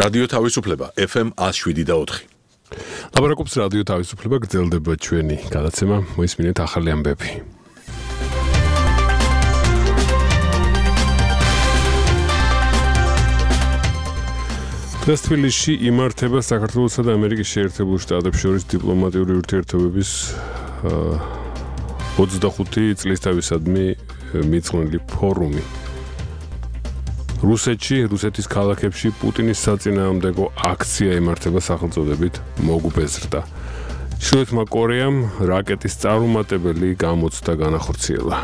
რადიო თავისუფლება FM 107.4. ლაპარაკობს რადიო თავისუფლება, გრძელდება ჩვენი გადაცემა, მოისმინეთ ახალი ამბები. დღეს თბილისში იმართება საქართველოსა და ამერიკის შეერთებულ შტატებს შორის დიპლომატიური ურთიერთობების 25 წლისთავისადმი მიძღვნილი ფორუმი. რუსეთის ქალაქებში პუტინის საწინააღმდეგო აქცია იმართება სახელწოდებით მოგუბეზრდა. ჩრდილოეთმა კორეამ რაკეტის წარუმატებელი გამოცდა განახორციელა.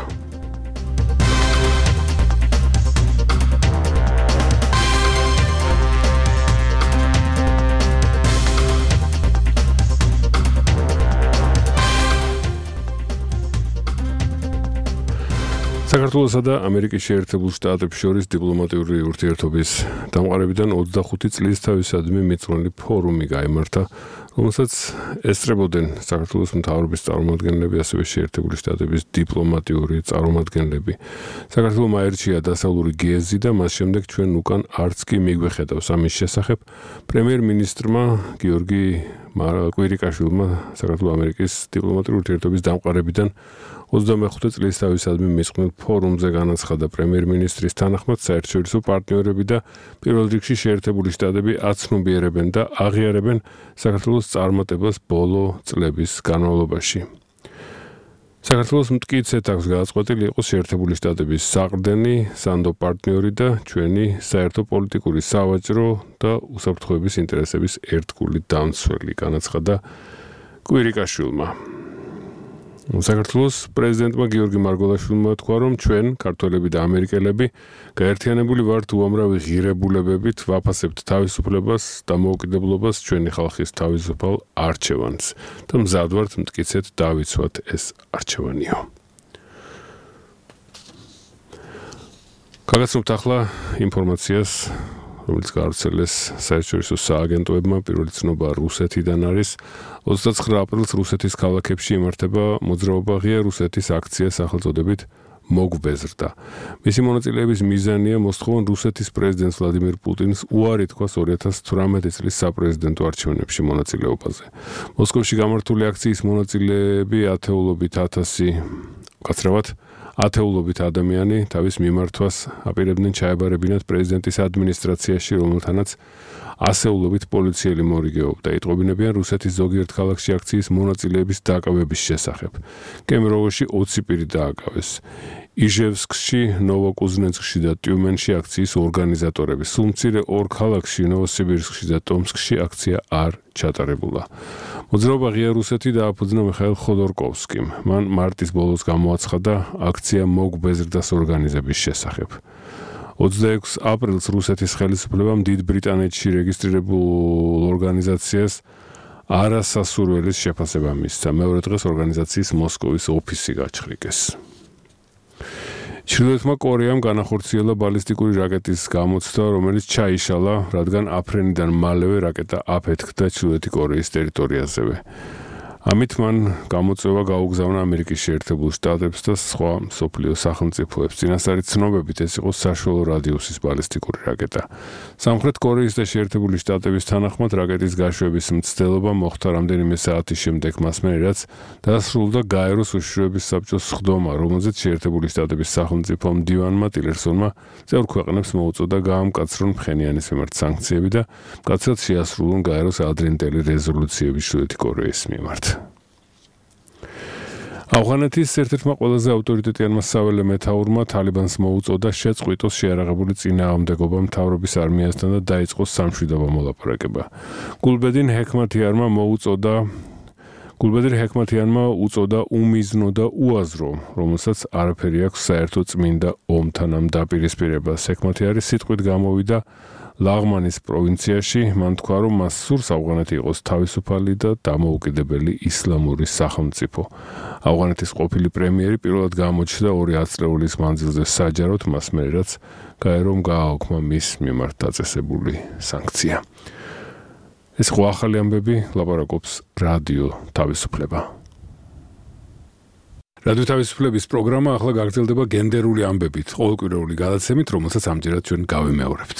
საქართველოსა და ამერიკის შეერთებულ შტატებს შორის დიპლომატიური ურთიერთობის დამყარებიდან 25 წლის თავისადმი მიძღვნილი ფორუმი გაიმართა, რომელსაც ესწრებოდნენ საქართველოს მთავრობის წარმომადგენლები, ასევე შეერთებული შტატების დიპლომატიური წარმომადგენლები. საქართველოს აერჩია დასავლური გეზი და მას შემდეგ ჩვენ უკან არც კი მიგვეხედავს ამის შესახებ პრემიერ-მინისტრმა გიორგი კვირიკაშვილმა საქართველოს ამერიკის დიპლომატიური ურთიერთობის დამყარებიდან 25 წლის თავისადმი მიძღვნილ ფორუმზე განაცხადა პრემიერ-მინისტრის თანახმად საერთაშორისო პარტნიორები და პირველ რიგში შეერთებული შტატები აცნობიერებენ და აღიარებენ საქართველოს წარმატებას ბოლო წლების განმავლობაში. საქართველოს მტკიცედ აქვს გადაწყვეტილი იყოს შეერთებული შტატების საყრდენი, სანდო პარტნიორი და ჩვენი საერთო პოლიტიკური, სავაჭრო და უსაფრთხოების ინტერესების ერთგული დამცველი, განაცხადა კვირიკაშვილმა. საქართველოს პრეზიდენტმა გიორგი მარგველაშვილმა თქვა, რომ ჩვენ, ქართველები და ამერიკელები, გაერთიანებული ვართ უამრავი ღირებულებებით, ვაფასებთ თავისუფლებას და დამოუკიდებლობას, ჩვენი ხალხის თავისუფალ არჩევანს და მზად ვართ მტკიცედ დავიცვათ ეს არჩევანიო. გაგაცნობთ ახლა ინფორმაციას, რომელიც გაავრცელეს საერთაშორისო სააგენტოებმა. პირველი ცნობა რუსეთიდან არის. 29 აპრილს რუსეთის ქალაქებში იმართება მოძრაობა ღია რუსეთის აქცია სახელწოდებით მოგუბეზრდა. მისი მონაწილეების მიზანია მოსთხოვან რუსეთის პრეზიდენტს ვლადიმირ პუტინს უარი თქვას 2018 წლის საპრეზიდენტო არჩევნებში მონაწილეობაზე. მოსკოვში გამართული აქციის მონაწილეები ათეულობით ადამიანი თავის მიმართვას აპირებდნენ ჩაებარებინათ პრეზიდენტის ადმინისტრაციაში, რომელთანაც ასეულობით პოლიციელი მორიგეობდა. იტყობინებიან რუსეთის ზოგიერთ ქალაქში აქციის მონაწილეების დაკავების შესახებ. კემეროვოში 20 პირი დააკავეს. იჟევსკში, ნოვოკუზნეცკში და ტიუმენში აქციის ორგანიზატორები. სულ მცირე ორ ქალაქში, ნოვოსიბირსკში და ტომსკში აქცია არ ჩატარებულა. მოძრაობა ღია რუსეთი დააფუძნა მიხაილ ხოდორკოვსკიმ. მან მარტის ბოლოს გამოაცხადა აქცია მოგუბეზრდას ორგანიზების შესახებ. 26 აპრილს რუსეთის ხელისუფლებამ დიდ ბრიტანეთში რეგისტრირებულ ორგანიზაციას არასასურველის შეფასება მისცა. მეორე დღეს ორგანიზაციის მოსკოვის ოფისი გაჩხრიკეს. ჩრდილოეთმა კორეამ განახორციელა ბალისტიკური რაკეტის გამოცდა, რომელიც ჩაიშალა, რადგან აფრენიდან მალევე რაკეტა აფეთქდა ჩრდილოეთი კორეის ტერიტორიაზევე. ამით მან გამოწვევა გაუგზავნა ამერიკის შეერთებულ შტატებს და სხვა მსოფლიო სახელმწიფოებს. წინასწარი ცნობებით ეს იყო საშუალო რადიუსის ბალისტიკური რაკეტა. სამხრეთ კორეის და შეერთებული შტატების თანახმად რაკეტის გაშვების მცდელობა მოხდა რამდენიმე საათის შემდეგ, მასმე რაც დასრულდა გაეროს უშიშროების საბჭოს სხდომა, რომელზეც შეერთებული შტატების სახელმწიფო მდივანმა ტილერსონმა წევრ ქვეყნებს მოუწოდა გაამკაცრონ ფხენიანის მიმართ სანქციები და მკაცრად შეასრულონ გაეროს ადრინდელი რეზოლუციები ჩრდილოეთი კორეის მიმართ. ავღანეთის ერთ-ერთმა ყველაზე ავტორიტეტიანმა საველე მეთაურმა თალიბანს მოუწოდა შეწყვიტოს შეარაღებული წინააღმდეგობა მთავრობის არმიასთან და დაიწყოს სამშვიდობო მოლაპარაკება. გულბედინ ჰექმათიანმა უწოდა უმიზნო და უაზრო, რომელსაც არაფერი აქვს საერთო წმინდა ომთან ამ დაპირისპირებას. ჰექმათი არის სიტყვით გამოვიდა ლაღმანის პროვინციაში. მან თქვა, რომ მას სურს ავღანეთი იყოს თავისუფალი და დამოუკიდებელი ისლამური სახელმწიფო. ავღანეთის ყოფილი პრემიერი პირველად გამოჩნდა 2 ათწლეულის მანძილზე საჯაროდ, მასმე რაც გაერომ გააოქმა მის მიმართ დაწესებული სანქცია. ეს ხო ახალი ამბები, ლაპარაკობს რადიო თავისუფლება. რადიო თავისუფლების პროგრამა ახლა გაგრძელდება გენდერული ამბებით, ყოველკვირეული გადაცემით, რომელსაც ამჯერად ჩვენ გავიმეორებთ.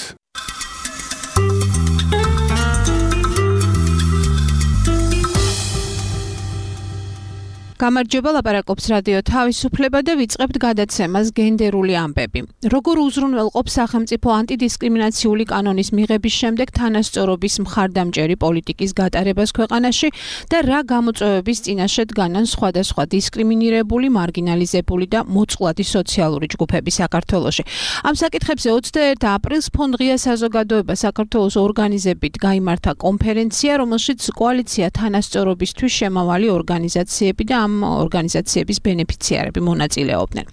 გამარჯობა, ლაპარაკობს რადიო თავისუფლება და ვიწყებთ გადაცემას გენდერული ამბები. Როგორ უზრუნველყოფს სახელმწიფო ანტიდისკრიმინაციული კანონის მიღების შემდეგ თანასწორობის მხარდამჭერი პოლიტიკის გატარებას ქვეყანაში და რა გამოწვევების წინაშე დგანან სხვადასხვა დისკრიმინირებული, მარგინალიზებული და მოწყვლადი სოციალური ჯგუფები საქართველოში. Ამ საკითხებზე 21 აპრილს ფონდღია საზოგადოება საქართველოს ორგანიზებით გაიმართა კონფერენცია, რომელშიც კოალიცია თანასწორობისთვის შემავალი ორგანიზაციები და ამ ორგანიზაციების ბენეფიციარები მონაწილეობდნენ.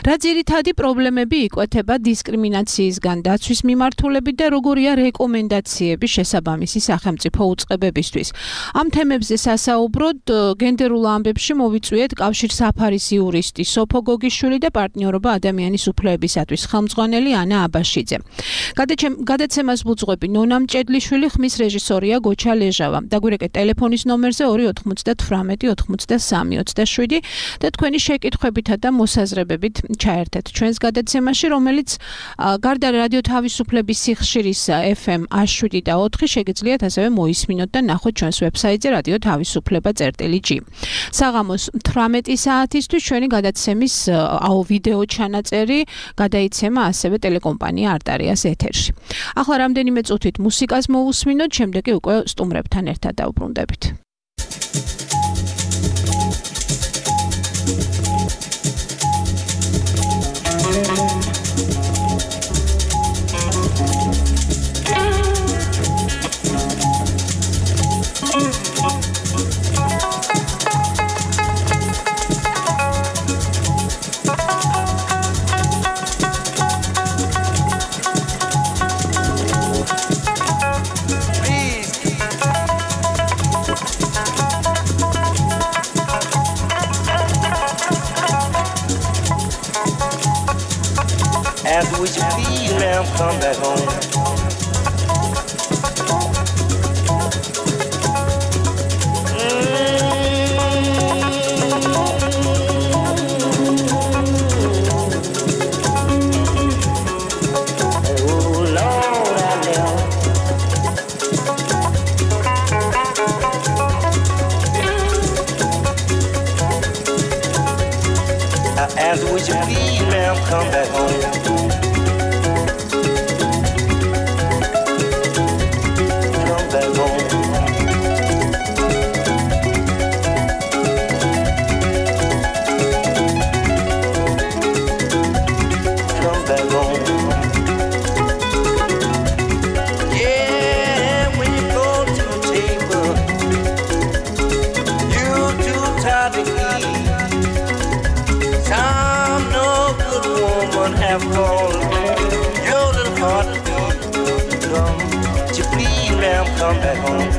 Რა ძირითადი პრობლემები იკვეთება დისკრიმინაციისგან დაცვის მიმართულებით და როგორია რეკომენდაციები შესაბამისი სახელმწიფო უწყებებისთვის. Ამ თემებზე სასაუბროდ გენდერულ ამბებში მოვიწვიეთ კავშირსაფარის იურისტი სოფო გოგიშვილი და პარტნიორობა ადამიანის უფლებისათვის ხელმძღვანელი ანა აბაშიძე. გადაცემას ვუძღვები ნონა მჭედლიშვილი, ხმის რეჟისორია გოჩა ლეჟავა. დაგვირეკეთ ტელეფონის ნომერზე 298 83 27 და თქვენი შეკითხვებითა და მოსაზრებებით ჩაერთეთ ჩვენს გადაცემაში, რომელიც გარდა რადიო თავისუფლების სიხშირის FM 107 და 4 შეგიძლიათ ასევე მოისმინოთ და ნახოთ ჩვენს ვებსაიტზე radiotavisupleba.gi. საღამოს 18 საათისთვის ჩვენი გადაცემის ვიდეო ჩანაწერი გადაიცემა ასევე ტელეკომპანია არტარიას ეთერში. ახლა რამდენიმე წუთით მუსიკას მოვუსმინოთ, შემდეგ კი უკვე სტუმრებთან ერთად დავბრუნდებით. After what you feel, now come back home. Oh Lord, I know. After what you feel, now come back home. Your little heart come, would you please, ma'am, come back home.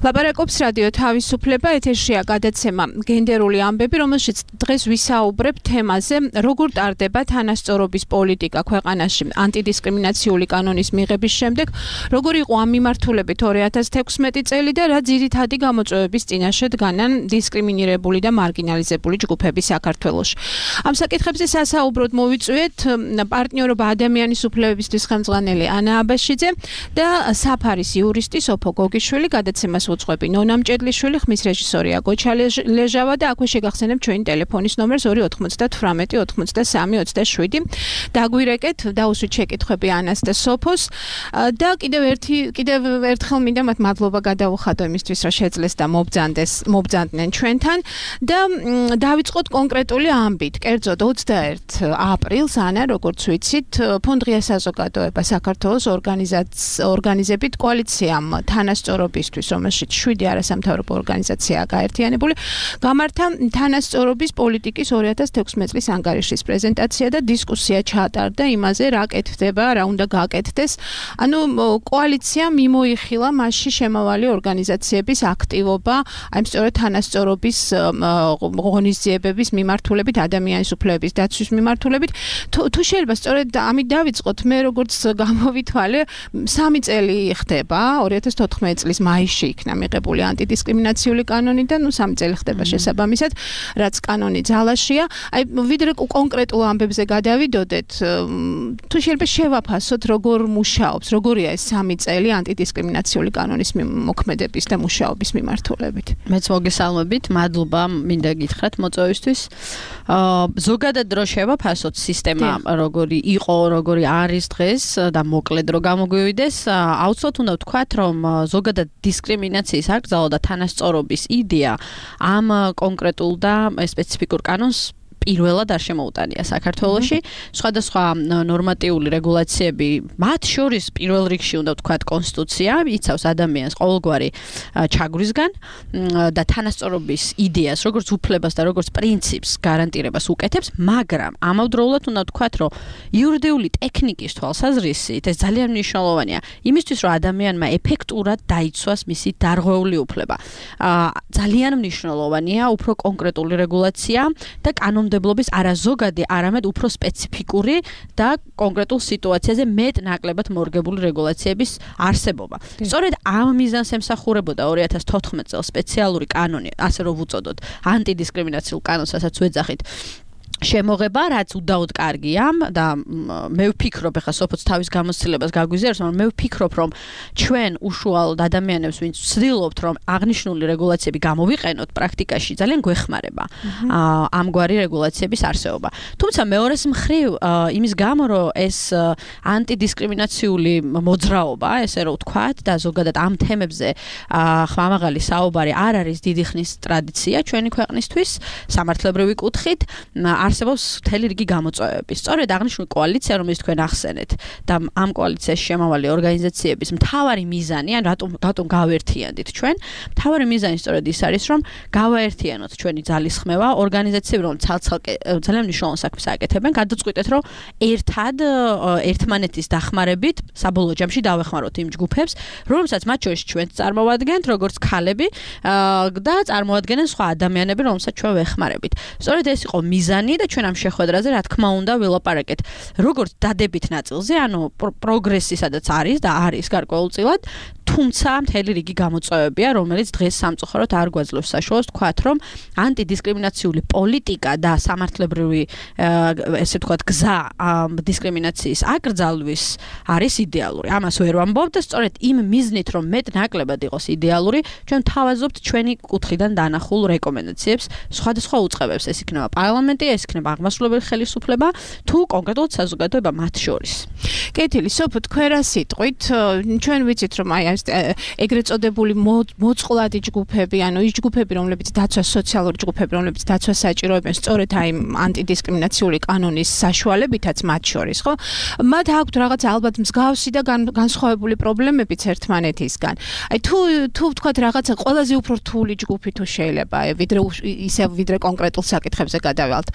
ლაპარაკობს რადიო თავისუფლება, ეთერშია გადაცემა გენდერული ამბები, რომელშიც დღეს ვისაუბრებ თემაზე, როგორ ტარდება თანასწორობის პოლიტიკა ქვეყანაში ანტიდისკრიმინაციული კანონის მიღების შემდეგ, როგორ იყო ამ მიმართულებით 2016 წელი და რა ძირითადი გამოწვევების წინაშე დგანან დისკრიმინირებული და მარგინალიზებული ჯგუფები საქართველოში. ამ საკითხებზე სასაუბროდ მოვიწვიეთ პარტნიორობა ადამიანის უფლებებისთვის ხელმძღვანელი ანა აბაშიძე და საფარის იურისტი სოფო გოგიშვილი, გადაცემას უძღვები ნონა მჭედლიშვილი, ხმის რეჟისორია გოჩა ლეჟავა და აქვე შეგახსენებ ჩვენი ტელეფონის ნომერს 298 83 27. დაგვირეკეთ, დაუსვით შეკითხვები ანას და სოფოს და კიდევ ერთხელ მინდა მათ მადლობა გადავუხადო იმისთვის, რომ შეძლეს და მობძანდნენ ჩვენთან და დავიწყოთ კონკრეტული ამბით. კერძოდ 21 აპრილს ანა, როგორც ვიცით, ფონდ ღია საზოგადოება საქართველოს ორგანიზებით კოალიციამ თანასწორობისთვის, რომელშიც 7 არასამთავრობო ორგანიზაციაა გაერთიანებული, გამართა თანასწორობის პოლიტიკის 2016 წლის ანგარიშის პრეზენტაცია და დისკუსია ჩაატარდა იმაზე, რა კეთდება, რა უნდა გაკეთდეს. ანუ კოალიცია მიმოიხილა მასში შემავალი ორგანიზაციების აქტივობა, აი სწორედ თანასწორობის ღონისძიებების მიმართულებით, ადამიანის უფლებების დაცვის მიმართულებით. თუ შეიძლება სწორედ ამით დავიწყოთ, მე როგორც გამოვითვალე, 3 წელი ხდება, 2014 წლის მაისში იქნა მიღებული ანტიდისკრიმინაციული კანონი და 3 წელი ხდება შესაბამისად, რაც კანონი ძალაშია. აი ვიდრე კონკრეტულ ამბებზე გადავიდოდეთ, თუ შეიძლება შევაფასოთ, როგორ მუშაობს, როგორია ეს 3 წელი ანტიდისკრიმინაციული კანონის მოქმედების და მუშაობის მიმართულებით. მეც მოგესალმებით, მადლობა მინდა გითხრათ მოწვევისთვის. ზოგადად რო შევაფასოთ სისტემა, როგორი იყო, როგორი არის დღეს და მოკლედ რო გამოგვივიდეს, აუცილებლად უნდა ვთქვათ, რომ ზოგადად დისკრიმინაციის აკრძალვა და თანასწორობის იდეა ამ კონკრეტულ და სპეციფიკურ კანონს პირველად არ შემოუტანია საქართველოში. სხვადასხვა ნორმატიული რეგულაციები, მათ შორის პირველ რიგში უნდა ვთქვათ კონსტიტუცია, იცავს ადამიანს ყოველგვარი ჩაგვრისგან და თანასწორობის იდეას, როგორც უფლებას და როგორც პრინციპს გარანტირებას უკეთებს, მაგრამ ამავდროულად უნდა ვთქვათ, რომ იურიდიული ტექნიკის თვალსაზრისით ეს ძალიან მნიშვნელოვანია იმისთვის, რომ ადამიანმა ეფექტურად დაიცვას მისი დარღვეული უფლება. ძალიან მნიშვნელოვანია უფრო კონკრეტული რეგულაცია და კანონმდებლობის არაზოგადი, არამედ უფრო სპეციფიკური და კონკრეტულ სიტუაციაზე მეტ-ნაკლებად მორგებული რეგულაციების არსებობა. სწორედ ამ მიზანს ემსახურებოდა 2014 წელს სპეციალური კანონი, ასე რომ ვუწოდოთ, ანტიდისკრიმინაციულ კანონს, რასაც ვეძახით, შემოღება, რაც უდაოდ კარგია და მე ვფიქრობ, ახლა სოფოც თავის გამოცდილებას გაგვიზიარებს, მაგრამ მე ვფიქრობ, რომ ჩვენ უშუალოდ ადამიანებს, ვინც ვცდილობთ, რომ აღნიშნული რეგულაციები გამოვიყენოთ პრაქტიკაში, ძალიან გვეხმარება ამგვარი რეგულაციების არსებობა. თუმცა მეორეს მხრივ, იმის გამო, რომ ეს ანტიდისკრიმინაციული მოძრაობა, ესე რომ ვთქვათ, და ზოგადად ამ თემებზე ხმამაღალი საუბარი არ არის დიდი ხნის ტრადიცია ჩვენი ქვეყნისთვის, სამართლებრივი კუთხით, არსებობს მთელი რიგი გამოწვევები. სწორედ აღნიშნული კოალიცია, რომელიც თქვენ ახსენეთ და ამ კოალიციაში შემავალი ორგანიზაციების მთავარი მიზანი, ან რატომ გავერთიანდით ჩვენ, მთავარი მიზანი სწორედ ის არის, რომ გავაერთიანოთ ჩვენი ძალისხმევა, ორგანიზაციები, რომ ცალ-ცალკე ძალიან მნიშვნელოვან საქმეს აკეთებენ, გადაწყვიტეთ, რომ ერთად ერთმანეთის დახმარებით საბოლოო ჯამში დავეხმაროთ იმ ჯგუფებს, რომელსაც მათ შორის ჩვენც წარმოვადგენთ, როგორც ქალები და წარმოადგენენ სხვა ადამიანები, რომელსაც ჩვენ ვეხმარებით. სწორედ ეს იყო მიზანი და ჩვენ ამ შეხვედრაზე რა თქმა უნდა ვილაპარაკეთ როგორც დადებით ნაწილზე, ანუ პროგრესი სადაც არის და არის გარკვეულწილად, თუმცა მთელი რიგი გამოწვევებია, რომელიც დღეს სამწუხაროდ არ გვაძლევს საშუალებას ვთქვათ, რომ ანტიდისკრიმინაციული პოლიტიკა და სამართლებრივი ესე ვთქვათ გზა დისკრიმინაციის აკრძალვის არის იდეალური. ამას ვერ ვამბობ და სწორედ იმ მიზნით, რომ მეტ-ნაკლებად იყოს იდეალური, ჩვენ თავაზობთ ჩვენი კუთხიდან დანახულ რეკომენდაციებს სხვადასხვა უწყებებს. ეს იქნება პარლამენტი, ეს იქნება აღმასრულებელი ხელისუფლება, თუ კონკრეტულად საზოგადოება მათ შორის. კეთილი, სოფო, თქვენ რა სიტყვით, ჩვენ ვიცით, რომ აი ეგრეთ წოდებული მოწყვლადი ჯგუფები, ანუ ის ჯგუფები, რომლებიც დაცვას, სოციალური ჯგუფები, რომლებიც დაცვას საჭიროებენ, სწორედ აი ანტიდისკრიმინაციული კანონის საშუალებითაც მათ შორის, ხო? მათ აქვთ რაღაც ალბათ მსგავსი და განსხვავებული პრობლემებიც ერთმანეთისგან. აი თუ ვთქვათ რაღაცა ყველაზე უფრო რთული ჯგუფი თუ შეიძლება, ვიდრე კონკრეტულ საკითხებზე გადავალთ.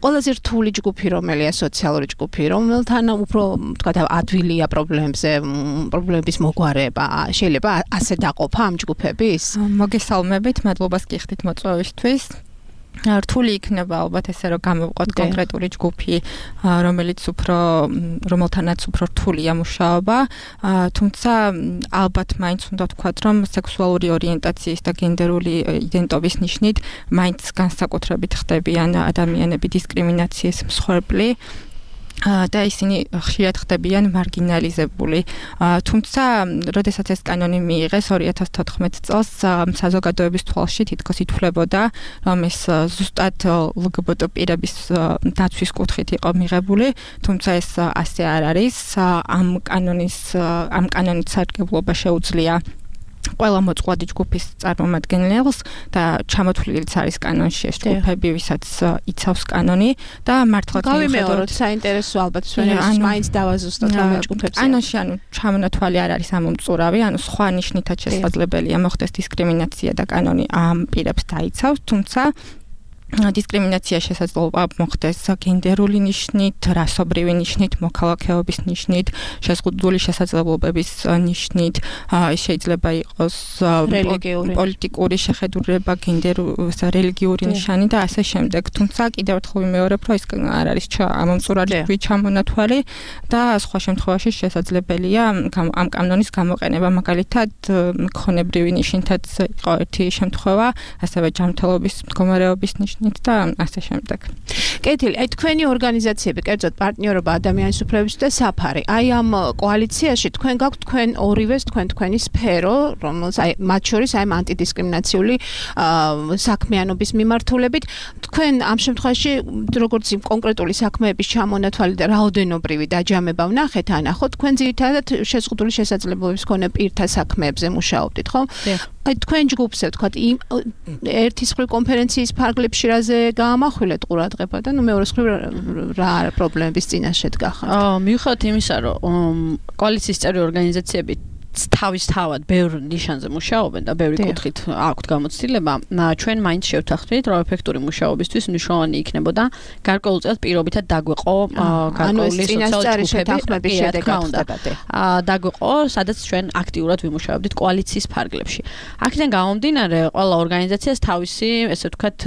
ყველაზე რთული ჯგუფი რომელია სოციალური ჯგუფი, რომელთან უფრო ვთქვათ ადვილია პრობლემების მოგვარება, შეიძლება ასე დაყოფა ამ ჯგუფების? მოგესალმებით, მადლობას გიხდით მოწვევისთვის. რთული იქნება ალბათ ესე რომ გამოვყოთ კონკრეტული ჯგუფი, რომელთანაც უფრო რთულია მუშაობა, თუმცა ალბათ მაინც უნდა ვთქვათ, რომ სექსუალური ორიენტაციის და გენდერული იდენტობის ნიშნით მაინც განსაკუთრებით ხდებიან ადამიანები დისკრიმინაციის მსხვერპლი. და ისინი ხშირად ხდებიან მარგინალიზებული. თუმცა, როდესაც ეს კანონი მიიღეს 2014 წელს, საზოგადოების თვალში თითქოს ითვლებოდა, რომ ეს ზუსტად LGBT პირების დაცვის კუთხით იყო მიღებული, თუმცა ეს ასე არ არის. ამ კანონით სარგებლობა შეუძლია ყველა მოწყვლადი ჯგუფის წარმომადგენელს და ჩამოთვლილიც არის კანონში ეს ჯგუფები, ვისაც იცავს კანონი და მართლაც გავიმეოროთ საინტერესო ალბათ ჩვენებს მაინც დავაზუსტოთ რა ჯგუფებს. კანონში ჩამონათვალი არ არის ამომწურავი, სხვა ნიშნითაც შესაძლებელია მოხდეს დისკრიმინაცია და კანონი ამ პირებს დაიცავს, თუმცა დისკრიმინაცია შესაძლოა მოხდეს გენდერული ნიშნით, რასობრივი ნიშნით, მოქალაქეობის ნიშნით, შეზღუდული შესაძლებლობების ნიშნით, შეიძლება იყოს პოლიტიკური შეხედულება, რელიგიური ნიშანი და ასე შემდეგ. თუმცა კიდევ ერთხელ ვიმეორებ, რომ ის არ არის ამომწურავი ჩამონათვალი და სხვა შემთხვევაში შესაძლებელია ამ კანონის გამოყენება, მაგალითად, ქონებრივი ნიშნითაც იყო ერთი შემთხვევა, ასევე ჯანმრთელობის მდგომარეობის ნიშნით და ასე შემდეგ. კეთილი, აი თქვენი ორგანიზაციები, კერძოდ პარტნიორობა ადამიანის უფლებისთვის და საფარი. აი ამ კოალიციაში თქვენ გაქვთ თქვენ ორივეს თქვენი სფერო, რომელსაც აი მათ შორის აი ანტიდისკრიმინაციული საქმიანობის მიმართულებით, თქვენ ამ შემთხვევაში როგორც იმ კონკრეტული საქმეების ჩამონათვალი და რაოდენობრივი დაჯამება ვნახეთ, ანახოთ, თქვენ ძირითადად შეზღუდული შესაძლებლობების მქონე პირთა საქმეებზე მუშაობდით, ხო? აი თქვენ ჯგუფზე ვთქვათ, ერთის მხრივ კონფერენციის ფარგლებში რაზე გაამახვილეთ ყურადღება და მეორე მხრივ რა პრობლემების წინაშე დგახართ? მივხვდით იმისა, რომ კოალიციის წევრი ორგანიზაციები თავისთავად ბევრ ნიშანზე მუშაობენ და ბევრი კუთხით აქვთ გამოცდილება. ჩვენ მაინც შევთანხმდით, რომ ეფექტური მუშაობისთვის მნიშვნელოვანი იქნებოდა გარკვეულწილად პირობითად დაგვეყო გარკვეული სოციალური შეთანხმების შედეგად დაგვეყო, სადაც ჩვენ აქტიურად ვიმუშაობდით კოალიციის ფარგლებში. აქედან გამომდინარე, ყველა ორგანიზაციას თავისი, ესე ვთქვათ,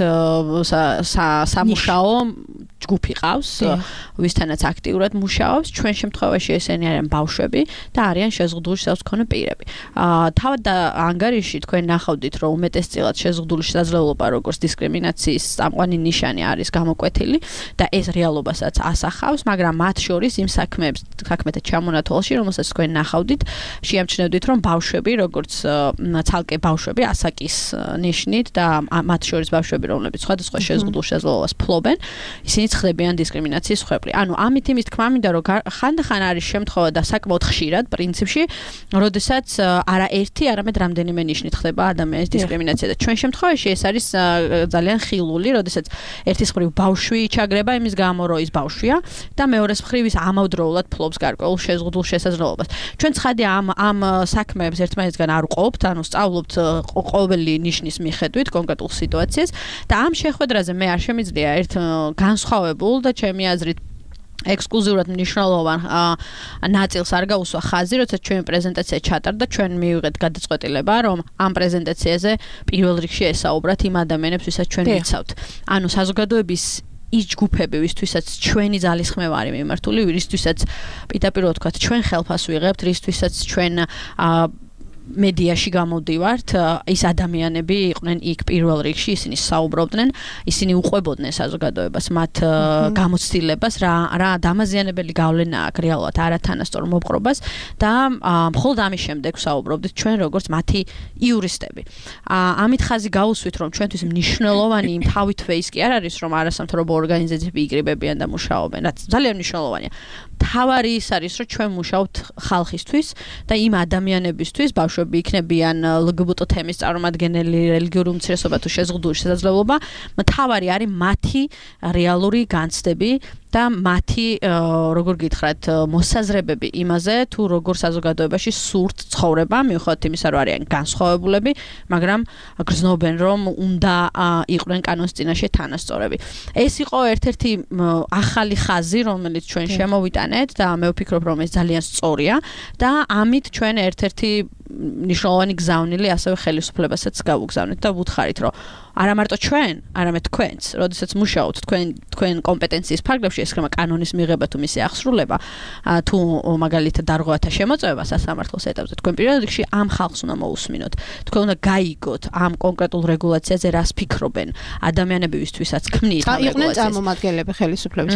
სამუშაო ჯგუფი ყავს, ვისთანაც აქტიურად მუშაობს. ჩვენ შემთხვევაში ესენი არიან ბავშვები და არიან შეზღუდული მქონე პირები. თავად და ანგარიში თქვენ ნახავდით, რომ უმეტესწილად შეზღუდული შესაძლებლობა როგორც დისკრიმინაციის წამყვანი ნიშანი არის გამოკვეთილი და ეს რეალობასაც ასახავს, მაგრამ მათ შორის იმ საქმეთა ჩამონათვალში, რომელსაც თქვენ ნახავდით, შეამჩნევდით, რომ ბავშვები, როგორც ცალკე ბავშვები ასაკის ნიშნით და მათ შორის ბავშვები, რომლებიც სხვადასხვა შეზღუდულ შესაძლებლობას ფლობენ, ისინი ხდებიან დისკრიმინაციის მსხვერპლი. ანუ ამით იმის თქმა მინდა, რომ ხანდახან არის შემთხვევა და საკმაოდ ხშირად პრინციპში როდესაც არა ერთი, არამედ რამდენიმე ნიშნით ხდება ადამიანის დისკრიმინაცია და ჩვენ შემთხვევაში ეს არის ძალიან ხილული, როდესაც ერთის მხრივ ბავშვი ჩაგრება იმის გამო, რომ ის ბავშვია და მეორეს მხრივ ის ამავდროულად ფლობს გარკვეულ შეზღუდულ შესაძლებლობას. ჩვენ ცხადია ამ საქმეებს ერთმანეთისგან არ ვყოფთ, ანუ სწავლობთ ყოველი ნიშნის მიხედვით კონკრეტულ სიტუაციას და ამ შეხვედრაზე მე არ შემიძლია ერთ განსხვავებულ და ჩემი აზრით ექსკლუზიურად მნიშვნელოვან ნაწილს არ გაუსვა ხაზი, როცა ჩვენი პრეზენტაცია ჩატარდა, ჩვენ მივიღეთ გადაწყვეტილება, რომ ამ პრეზენტაციაზე პირველ რიგში ესაუბრათ იმ ადამიანებს, ვისაც ჩვენ ვიცავთ. ანუ საზოგადოების ის ჯგუფები, ვისთვისაც ჩვენი ძალისხმევა არის მიმართული, ვისთვისაც პირდაპირ ვთქვათ, ჩვენ ხელფას ვიღებთ, ვისთვისაც ჩვენ მედიაში გამოდივართ, ის ადამიანები იყვნენ იქ პირველ რიგში, ისინი საუბრობდნენ, ისინი უყვებოდნენ საზოგადოებას, მათ გამოცდილებას, რა დამაზიანებელი გავლენა აქვს რეალურად არათანასწორ მოპყრობას და მხოლოდ ამის შემდეგ საუბრობდით ჩვენ როგორც მათი იურისტები. ამით ხაზი გაუსვით, რომ ჩვენთვის მნიშვნელოვანი იმ თავითვე ის კი არ არის, რომ არასამთავრობო ორგანიზაციები იგრიბებიან და მუშაობენ, რაც ძალიან მნიშვნელოვანია. თავარი ის არის, რომ ჩვენ მუშაობთ ხალხისთვის და იმ ადამიანებისთვის, ბავშვები იქნებიან LGBT თემის წარმომადგენელი, რელიგიური უმცირესობა თუ შეზღუდული შესაძლებლობა, თავარი არის მათი რეალური განცდები და მათი, როგორ გითხრათ, მოსაზრებები იმაზე, თუ როგორ საზოგადოებაში სურთ ცხოვრება, მიუხედავად იმისა, რომ არიან განსხვავებულები, მაგრამ გრძნობენ, რომ უნდა იყვნენ კანონის წინაშე თანასწორები. ეს იყო ერთ-ერთი ახალი ხაზი, რომელიც ჩვენ შემოვიტანეთ და მე ვფიქრობ, რომ ეს ძალიან სწორია და ამით ჩვენ ერთ-ერთი ნიშნულოვანი გზავნილი ასევე ხელისუფლებასაც გავუგზავნეთ და ვუთხარით, რომ არა მარტო ჩვენ, არამედ თქვენც, როდესაც მუშაობთ თქვენ კომპეტენციის ფარგლებში, ეს ხება კანონის მიღება თუ მისი აღსრულება, თუ მაგალითად დარღვევათა შემოწმება სასამართლოს ეტაპზე, თქვენ პირველ რიგში ამ ხალხს უნდა მოусმინოთ. თქვენ უნდა გაიგოთ ამ კონკრეტულ რეგულაციაზე რას ფიქრობენ ადამიანები, ვისთვისაც ქმნით ამ იყვნენ რეგულაციას. წარმომადგენლები ხელისუფლების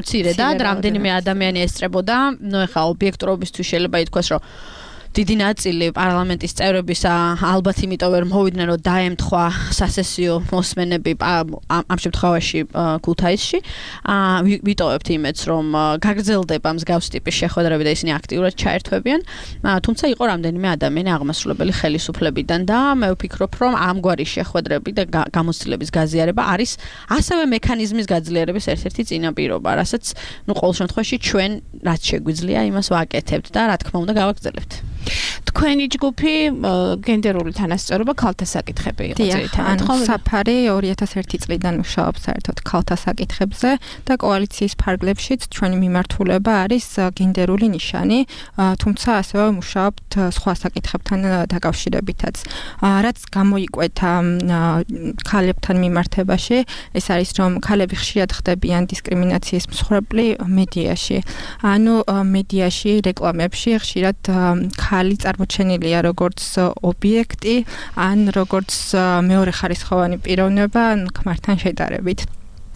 მცირე და რამდენიმე ადამიანი ესწრებოდა, ეხლა ობიექტურობისთვის შეიძლება ითქვას, რომ დიდი ნაწილი პარლამენტის წევრების ალბათ იმიტომ ვერ მოვიდნენ, რომ დაემთხვა სასესიო მოსმენები ამ შემთხვევაში ქუთაისში. ვიტოვებთ იმედს, რომ გაგრძელდება მსგავსი ტიპის შეხვედრები და ისინი აქტიურად ჩაერთვებიან. თუმცა იყო რამდენიმე ადამიანი აღმასრულებელი ხელისუფლებიდან და მე ვფიქრობ, რომ ამგვარი შეხვედრები და გამოცდილების გაზიარება არის ასევე მექანიზმის გაძლიერების ერთ-ერთი წინაპირობა, რასაც ყოველ შემთხვევაში ჩვენ რაც შეგვიძლია იმას ვაკეთებთ და რა თქმა უნდა გავაგრძელებთ. თქვენი ჯგუფი გენდერული თანასწორობა ქალთა საკითხები იყო ძირითადად, ხო? საფარი 2001 წლიდან მუშაობს საერთოდ ქალთა საკითხებზე და კოალიციის ფარგლებშიც ჩვენი მიმართულება არის გენდერული ნიშანი, თუმცა ასევე მუშაობთ სხვა საკითხებთან დაკავშირებითაც. რაც გამოიკვეთა ქალებთან მიმართებაში, ეს არის, რომ ქალები ხშირად ხდებიან დისკრიმინაციის მსხვერპლი მედიაში. ანუ მედიაში, რეკლამებში ხშირად ქალი წარმოჩენილია როგორც ობიექტი, ან როგორც მეორეხარისხოვანი პიროვნება ქმართან შედარებით.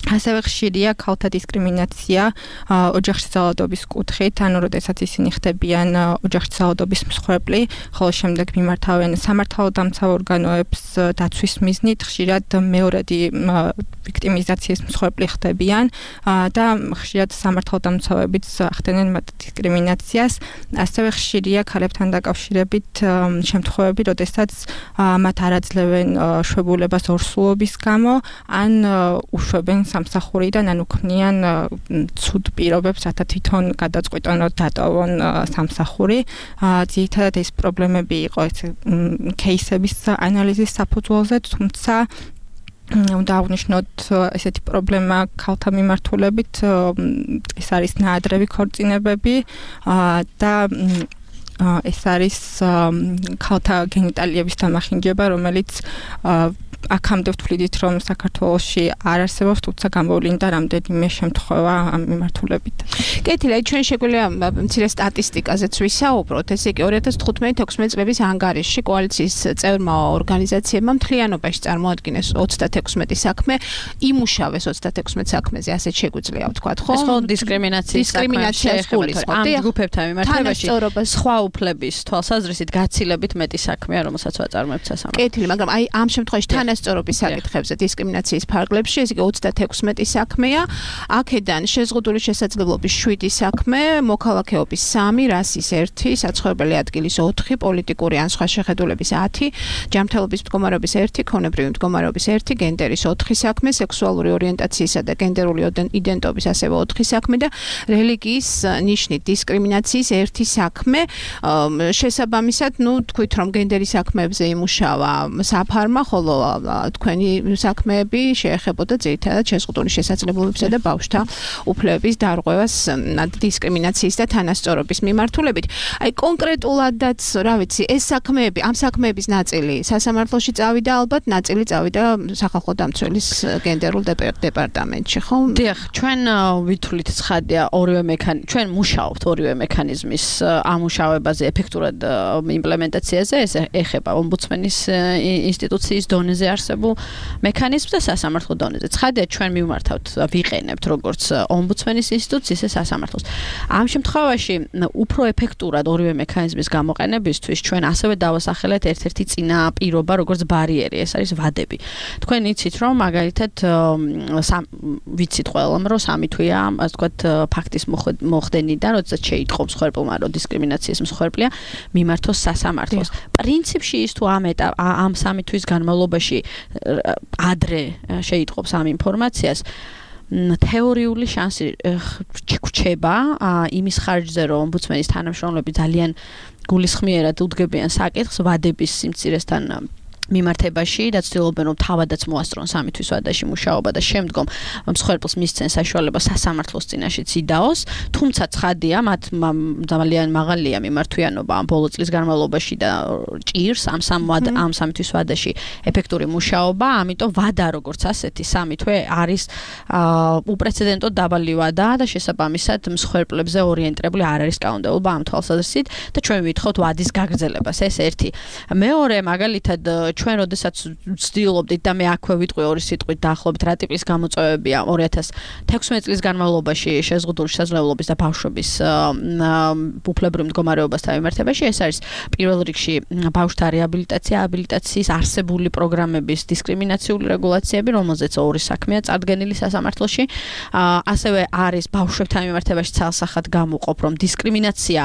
ასევე ხშირია ქალთა დისკრიმინაცია ოჯახში ძალადობის კუთხით, ანუ როდესაც ისინი ხდებიან ოჯახში ძალადობის მსხვერპლი, ხოლო შემდეგ მიმართავენ სამართალდამცავ ორგანოებს დაცვის მიზნით, ხშირად მეორადი ვიქტიმიზაციის მსხვერპლი ხდებიან და ხშირად სამართალდამცავებიც ახდენენ მათ დისკრიმინაციას. ასევე ხშირია ქალებთან დაკავშირებით შემთხვევები, როდესაც მათ არ აძლევენ შვებულებას ორსულობის გამო, ან უშვებენ სამსახურიდან, ანუ ქმნიან ცუდ პირობებს, რათა თვითონ გადაწყვიტონ დატოვონ სამსახური. ძირითადად ეს პრობლემები იყო кейსების ანალიზის საფუძველზე, თუმცა უნდა აღნიშნოთ ესეთი პრობლემა ქალთა მიმართულებით, ეს არის ნაადრევი ქორწინებები და ეს არის ქალთა გენიტალიების დამახინჯება, რომელიც აქამდე ვთვლიდით, რომ საქართველოში არ არსებობს, თუმცა გამოვლინდა რამდენიმე შემთხვევა ამ მიმართულებით. კეთილი, ჩვენ შეგვიძლია მცირე სტატისტიკაზეც ვისაუბროთ. ესე იგი 2015-16 წლების ანგარიშში კოალიციის წევრმა ორგანიზაციებმა მთლიანობაში წარმოადგინეს 36 საქმე, იმუშავეს 36 საქმეზე, ასეთ შეგვიძლია ვთქვათ, ხო? ეს ხო დისკრიმინაციის გულისხმობ. ამ ჯგუფებთან მიმართებაში სხვა უფლების თვალსაზრისით გაცილებით მეტი საქმეა, რომელსაც ვაწარმოებთ სასამართლოში. კეთილი, მაგრამ აი ამ შემთხვევაში თანასწორობის საკითხებზე დისკრიმინაციის ფარგლებში, ეს იგი 36 საქმეა, აქედან შეზღუდული შესაძლებლობის 7 საქმე, მოქალაქეობის 3, რასის 1, საცხოვრებელი ადგილის 4, პოლიტიკური ან სხვა შეხედულების 10, ჯანმრთელობის მდგომარეობის 1, ქონებრივი მდგომარეობის 1, გენდერის 4 საქმე, სექსუალური ორიენტაციისა და გენდერული იდენტობის ასევე 4 საქმე და რელიგიის ნიშნით დისკრიმინაციის 1 საქმე. შესაბამისად, თქვით, რომ გენდერის საქმეებზე იმუშავა საფარმა, ხოლო თქვენი საქმეები შეეხებოდა ძირითადად შეზღუდული შესაძლებლობებისა და ბავშვთა უფლებების დარღვევას დისკრიმინაციის და თანასწორობის მიმართულებით. აი კონკრეტულადაც, რა ვიცი, ეს საქმეები, ამ საქმეების ნაწილი სასამართლოში წავიდა ალბათ, ნაწილი წავიდა სახალხო დამცველის გენდერულ დეპარტამენტში, ხო? დიახ, ჩვენ ვითვლით ცხადია ჩვენ მუშაობთ ორივე მექანიზმის ამუშავებაზე, ეფექტურად იმპლემენტაციაზე, ეს ეხება ომბუდსმენის ინსტიტუციის დონეზე არსებულ მექანიზმს და სასამართლო დონეზე. ცხადია, ჩვენ მივმართავთ, ვიყენებთ როგორც ომბუდსმენის ინსტიტუციის, ისე სასამართლოს. ამ შემთხვევაში უფრო ეფექტურად ორივე მექანიზმის გამოყენებისთვის ჩვენ ასევე დავასახელეთ ერთ-ერთი წინაპირობა, როგორც ბარიერი, ეს არის ვადები. თქვენ იცით, რომ მაგალითად ვიცით ყველამ, რომ 3 თვეა, ასე ვთქვათ, ფაქტის მოხდენიდან, როდესაც შეიტყო მსხვერპლმა, რომ დისკრიმინაციის მსხვერპლია, მიმართოს სასამართლოს. პრინციპში ის თუ ამ 3 თვის განმავლობაში ადრე შეიტყობს ამ ინფორმაციას, თეორიული შანსი რჩება იმის ხარჯზე, რომ ომბუდსმენის თანამშრომლები ძალიან გულისხმიერად უდგებიან საკითხს ვადების სიმცირესთან მიმართებაში და ცდილობენ რომ თავადაც მოასწრონ 3 თვის ვადაში მუშაობა და შემდგომ მსხვერპლს მისცენ საშუალება სასამართლოს წინაშე ციდაოს, თუმცა ცხადია, მათ ძალიან მაღალია მიმართვიანობა ამ ბოლო წლის განმავლობაში და ჭირს ამ 3 თვის ვადაში ეფექტური მუშაობა, ამიტომ ვადა როგორც ასეთი 3 თვე არის უპრეცედენტოდ დაბალი ვადა და შესაბამისად მსხვერპლებზე ორიენტირებული არ არის კანონმდებლობა ამ თვალსაზრისით და ჩვენ ვითხოვთ ვადის გაგრძელებას. ეს ერთი. მეორე მაგალითად ჩვენ როდესაც ვცდილობდით და მე აქვე ვიტყვი ორი სიტყვით დაახლოებით რა ტიპის გამოწვევებია 2016 წლის განმავლობაში შეზღუდული შესაძლებლობის და ბავშვების უფლებრივ მდგომარეობასთან მიმართებაში. ეს არის პირველ რიგში ბავშვთა რეაბილიტაცია, აბილიტაციის არსებული პროგრამების დისკრიმინაციული რეგულაციები, რომელზეც ორი საქმეა წარდგენილი სასამართლოში. ასევე არის ბავშვებთან მიმართებაში ცალსახად გამოვყოფ, რომ დისკრიმინაცია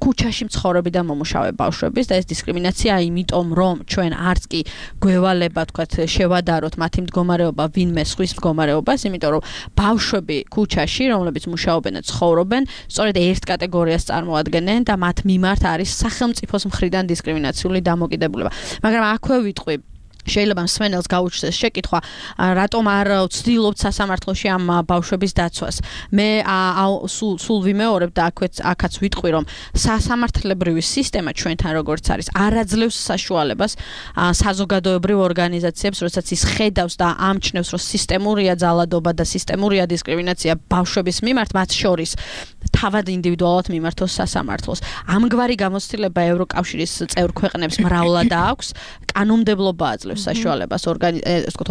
ქუჩაში მცხოვრები და მომუშავე ბავშვების და ეს დისკრიმინაცია იმიტომ რომ ჩვენ არც კი გვევალება თქვათ შევადაროთ მათი მდგომარეობა ვინმე სხვის მდგომარეობას, იმიტომ რომ ბავშვები ქუჩაში, რომლებიც მუშაობენ და ცხოვრობენ, სწორედ ერთ კატეგორიას წარმოადგენენ და მათ მიმართ არის სახელმწიფოს მხრიდან დისკრიმინაციული დამოკიდებულება. მაგრამ აქვე ვიტყვი შეიძლება მსმენელს გაუჩნდეს შეკითხვა, რატომ არ ვცდილობთ სასამართლოში ამ ბავშვების დაცვას. მე სულ ვიმეორებ და აქაც ვიტყვი, რომ სასამართლებრივი სისტემა ჩვენთან როგორც არის, არ აძლევს საშუალებას საზოგადოებრივ ორგანიზაციებს, როდესაც ის ხედავს და ამჩნევს, რომ სისტემურია ძალადობა და სისტემურია დისკრიმინაცია ბავშვების მიმართ, მათ შორის თავად ინდივიდუალურად მიმართოს სასამართლოს. ამგვარი გამოცდილება ევროკავშირის წევრ ქვეყნებს მრავლად აქვს, კანონმდებლობა აძლევს საშუალებას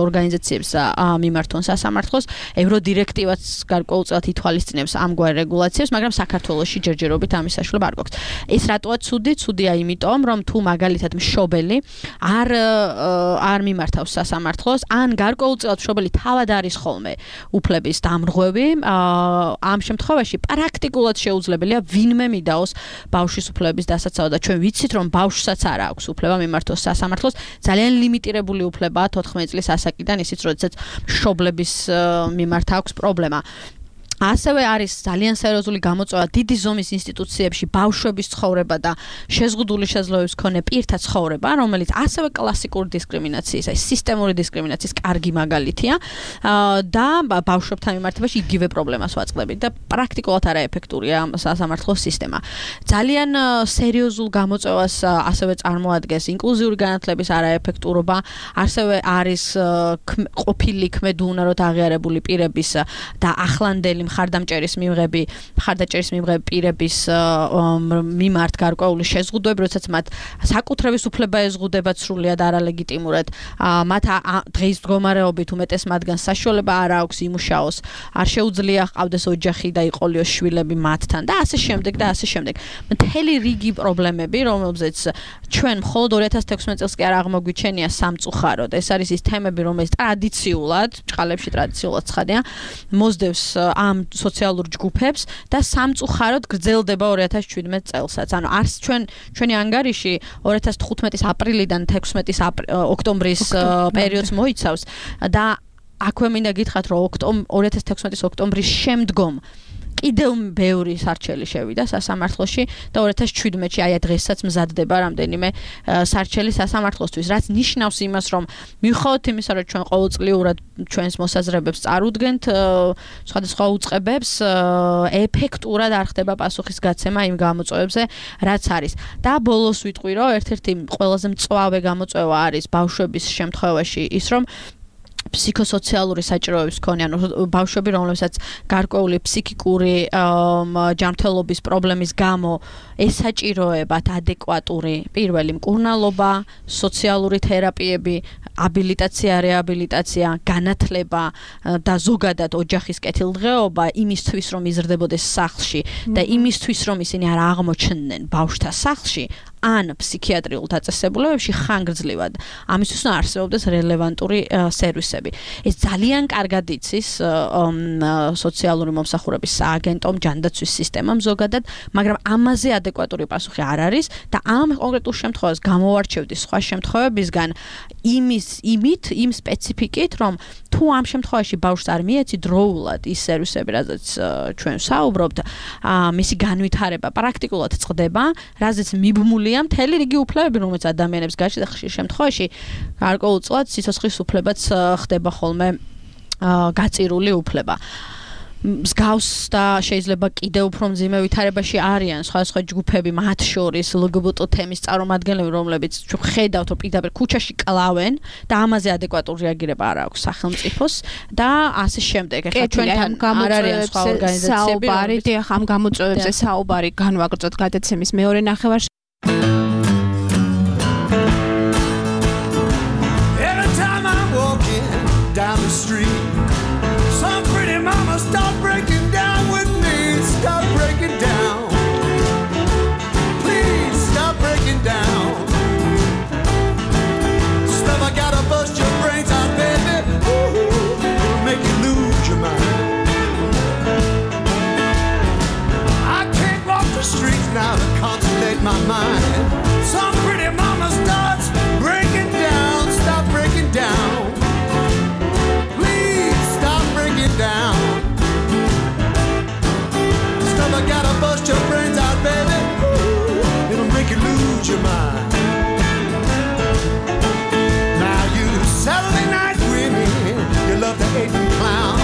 ორგანიზაციებს მიმართონ სასამართლოს, ევროდირექტივაც გარკვეულწილად ითვალისწინებს ამგვარ რეგულაციებს, მაგრამ საქართველოში ჯერჯერობით ამის საშუალება არ გვაქვს. ეს რატოა ცუდი? ცუდია იმიტომ, რომ თუ მაგალითად მშობელი არ მიმართავს სასამართლოს, ან გარკვეულწილად მშობელი თავად არის ხოლმე უფლების დამრღვევი, ამ შემთხვევაში პრაქტიკულად შეუძლებელია ვინმე მიდაოს ბავშვის უფლების დასაცავად და ჩვენ ვიცით, რომ ბავშვსაც არ აქვს უფლება მიმართოს სასამართლოს, ძალიან ლიმიტირებული უფლებაა 14 წლის ასაკიდან, ისიც როდესაც მშობლების მიმართ აქვს პრობლემა. ასევე არის ძალიან სერიოზული გამოწვევა დიდი ზომის ინსტიტუციებში ბავშვების ცხოვრება და შეზღუდული შესაძლებლობის მქონე პირთა ცხოვრება, რომელიც ასევე კლასიკური დისკრიმინაციის, აი სისტემური დისკრიმინაციის კარგი მაგალითია და ბავშვებთან მიმართებაში იგივე პრობლემას ვაწყდებით და პრაქტიკულად არაეფექტურია სასამართლოს სისტემა. ძალიან სერიოზულ გამოწვევას ასევე წარმოადგენს ინკლუზიური განათლების არაეფექტურობა, ასევე არის ყოფილი ქმედუნაროდ აღიარებული პირების და ახლანდელი მხარდამჭერის მიღები პირების მიმართ გარკვეული შეზღუდვები, როდესაც მათ საკუთრების უფლება ეზღუდება სრულიად არალეგიტიმურად, მათ დღის მდგომარეობით უმეტეს მათგანს საშუალება არ აქვს იმუშაოს, არ შეუძლია ჰყავდეს ოჯახი და იყოლიოს შვილები მათთან და ასე შემდეგ და ასე შემდეგ. მთელი რიგი პრობლემები, რომელზეც ჩვენ მხოლოდ 2016 წელს კი არ აღმოგვიჩენია სამწუხაროდ. ეს არის ის თემები, რომელიც ტრადიციულად, ჭყალებში ტრადიციულად ცხადია, მოსდევს ამ სოციალურ ჯგუფებს და სამწუხაროდ გრძელდება 2017 წელსაც. ანუ არც ჩვენი ანგარიში 2015 აპრილიდან 16 ოქტომბრის პერიოდს მოიცავს და აქვე მინდა გითხრათ, რომ 2016 ოქტომბრის შემდგომ კიდევ ბევრი სარჩელი შევიდა სასამართლოში და 2017-ში აი დღესაც მზადდება რამდენიმე სარჩელი სასამართლოსთვის, რაც ნიშნავს იმას, რომ მიუხედავად იმისა, რომ ჩვენ ყოველწლიურად ჩვენს მოსაზრებებს წარუდგენთ სხვადასხვა უწყებებს, ეფექტურად არ ხდება პასუხისგაცემა იმ გამოწვევებზე, რაც არის. და ბოლოს ვიტყვი, რომ ერთ-ერთი ყველაზე მწვავე გამოწვევა არის ბავშვების შემთხვევაში ის, რომ ფსიქოსოციალური საჭიროების მქონე, ანუ ბავშვები, რომლებსაც გარკვეული ფსიქიკური ჯანმრთელობის პრობლემის გამო ესაჭიროებათ ადეკვატური პირველი მკურნალობა, სოციალური თერაპიები, აბილიტაცია, რეაბილიტაცია, განათლება და ზოგადად ოჯახის კეთილდღეობა იმისთვის, რომ იზრდებოდეს სახლში და იმისთვის, რომ ისინი არ აღმოჩნდნენ ბავშვთა სახლში, ან ფსიქიატრიულ დაწესებულებებში ხანგრძლივად. ამისთვის უნდა არსებობდეს რელევანტური სერვისები. ეს ძალიან კარგად იცის სოციალური მომსახურების სააგენტომ, ჯანდაცვის სისტემამ ზოგადად, მაგრამ ამაზე ადეკვატური პასუხი არ არის და ამ კონკრეტულ შემთხვევას გამოვარჩევდი სხვა შემთხვევებისგან იმ სპეციფიკით, რომ თუ ამ შემთხვევაში ბავშვს არ მიეცი დროულად ის სერვისები, რაზეც ჩვენ საუბრობთ, მისი განვითარება პრაქტიკულად წყდება, რაზეც მიბმული გაუქმებულია მთელი რიგი უფლებები, რომელიც ადამიანებს გააჩნია და ხშირ შემთხვევაში გარკვეულწილად სიცოცხლის უფლებაც ხდება ხოლმე გაწირული უფლება. მსგავს და შეიძლება კიდევ უფრო მძიმე ვითარებაში არიან სხვადასხვა ჯგუფები, მათ შორის LGBT თემის წარმომადგენლები, რომლებიც ჩვენ ხედავთ, რომ პირდაპირ ქუჩაში კლავენ და ამაზე ადეკვატური რეაგირება არ აქვს სახელმწიფოს და ასე შემდეგ. ეხლა ჩვენთან არ არიან სხვა ორგანიზაციები, რომლებიც ამ გამოწვევებზე საუბარი განვაგრძოთ გადაცემის მეორე ნახევარში. Every time I'm walking down the street, some pretty mama start breaking down with me. Stop breaking down. Please stop breaking down. Stuff I gotta bust your brains out, baby. Ooh, make you lose your mind. I can't walk the streets now to contemplate my mind. Some pretty mama starts breaking down. Stop breaking down. Please stop breaking down. Stuff I gotta bust your brains out, baby. Ooh, it'll make you lose your mind. Now you Saturday night women, you love to hate and clown.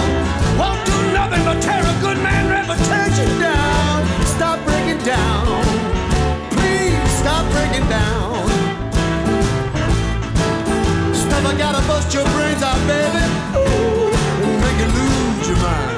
Won't do nothing but tear a good man reputation down. Stop breaking down. Please stop breaking down. Stuff I gotta bust your brains out, baby. Ooh, it'll make you lose your mind.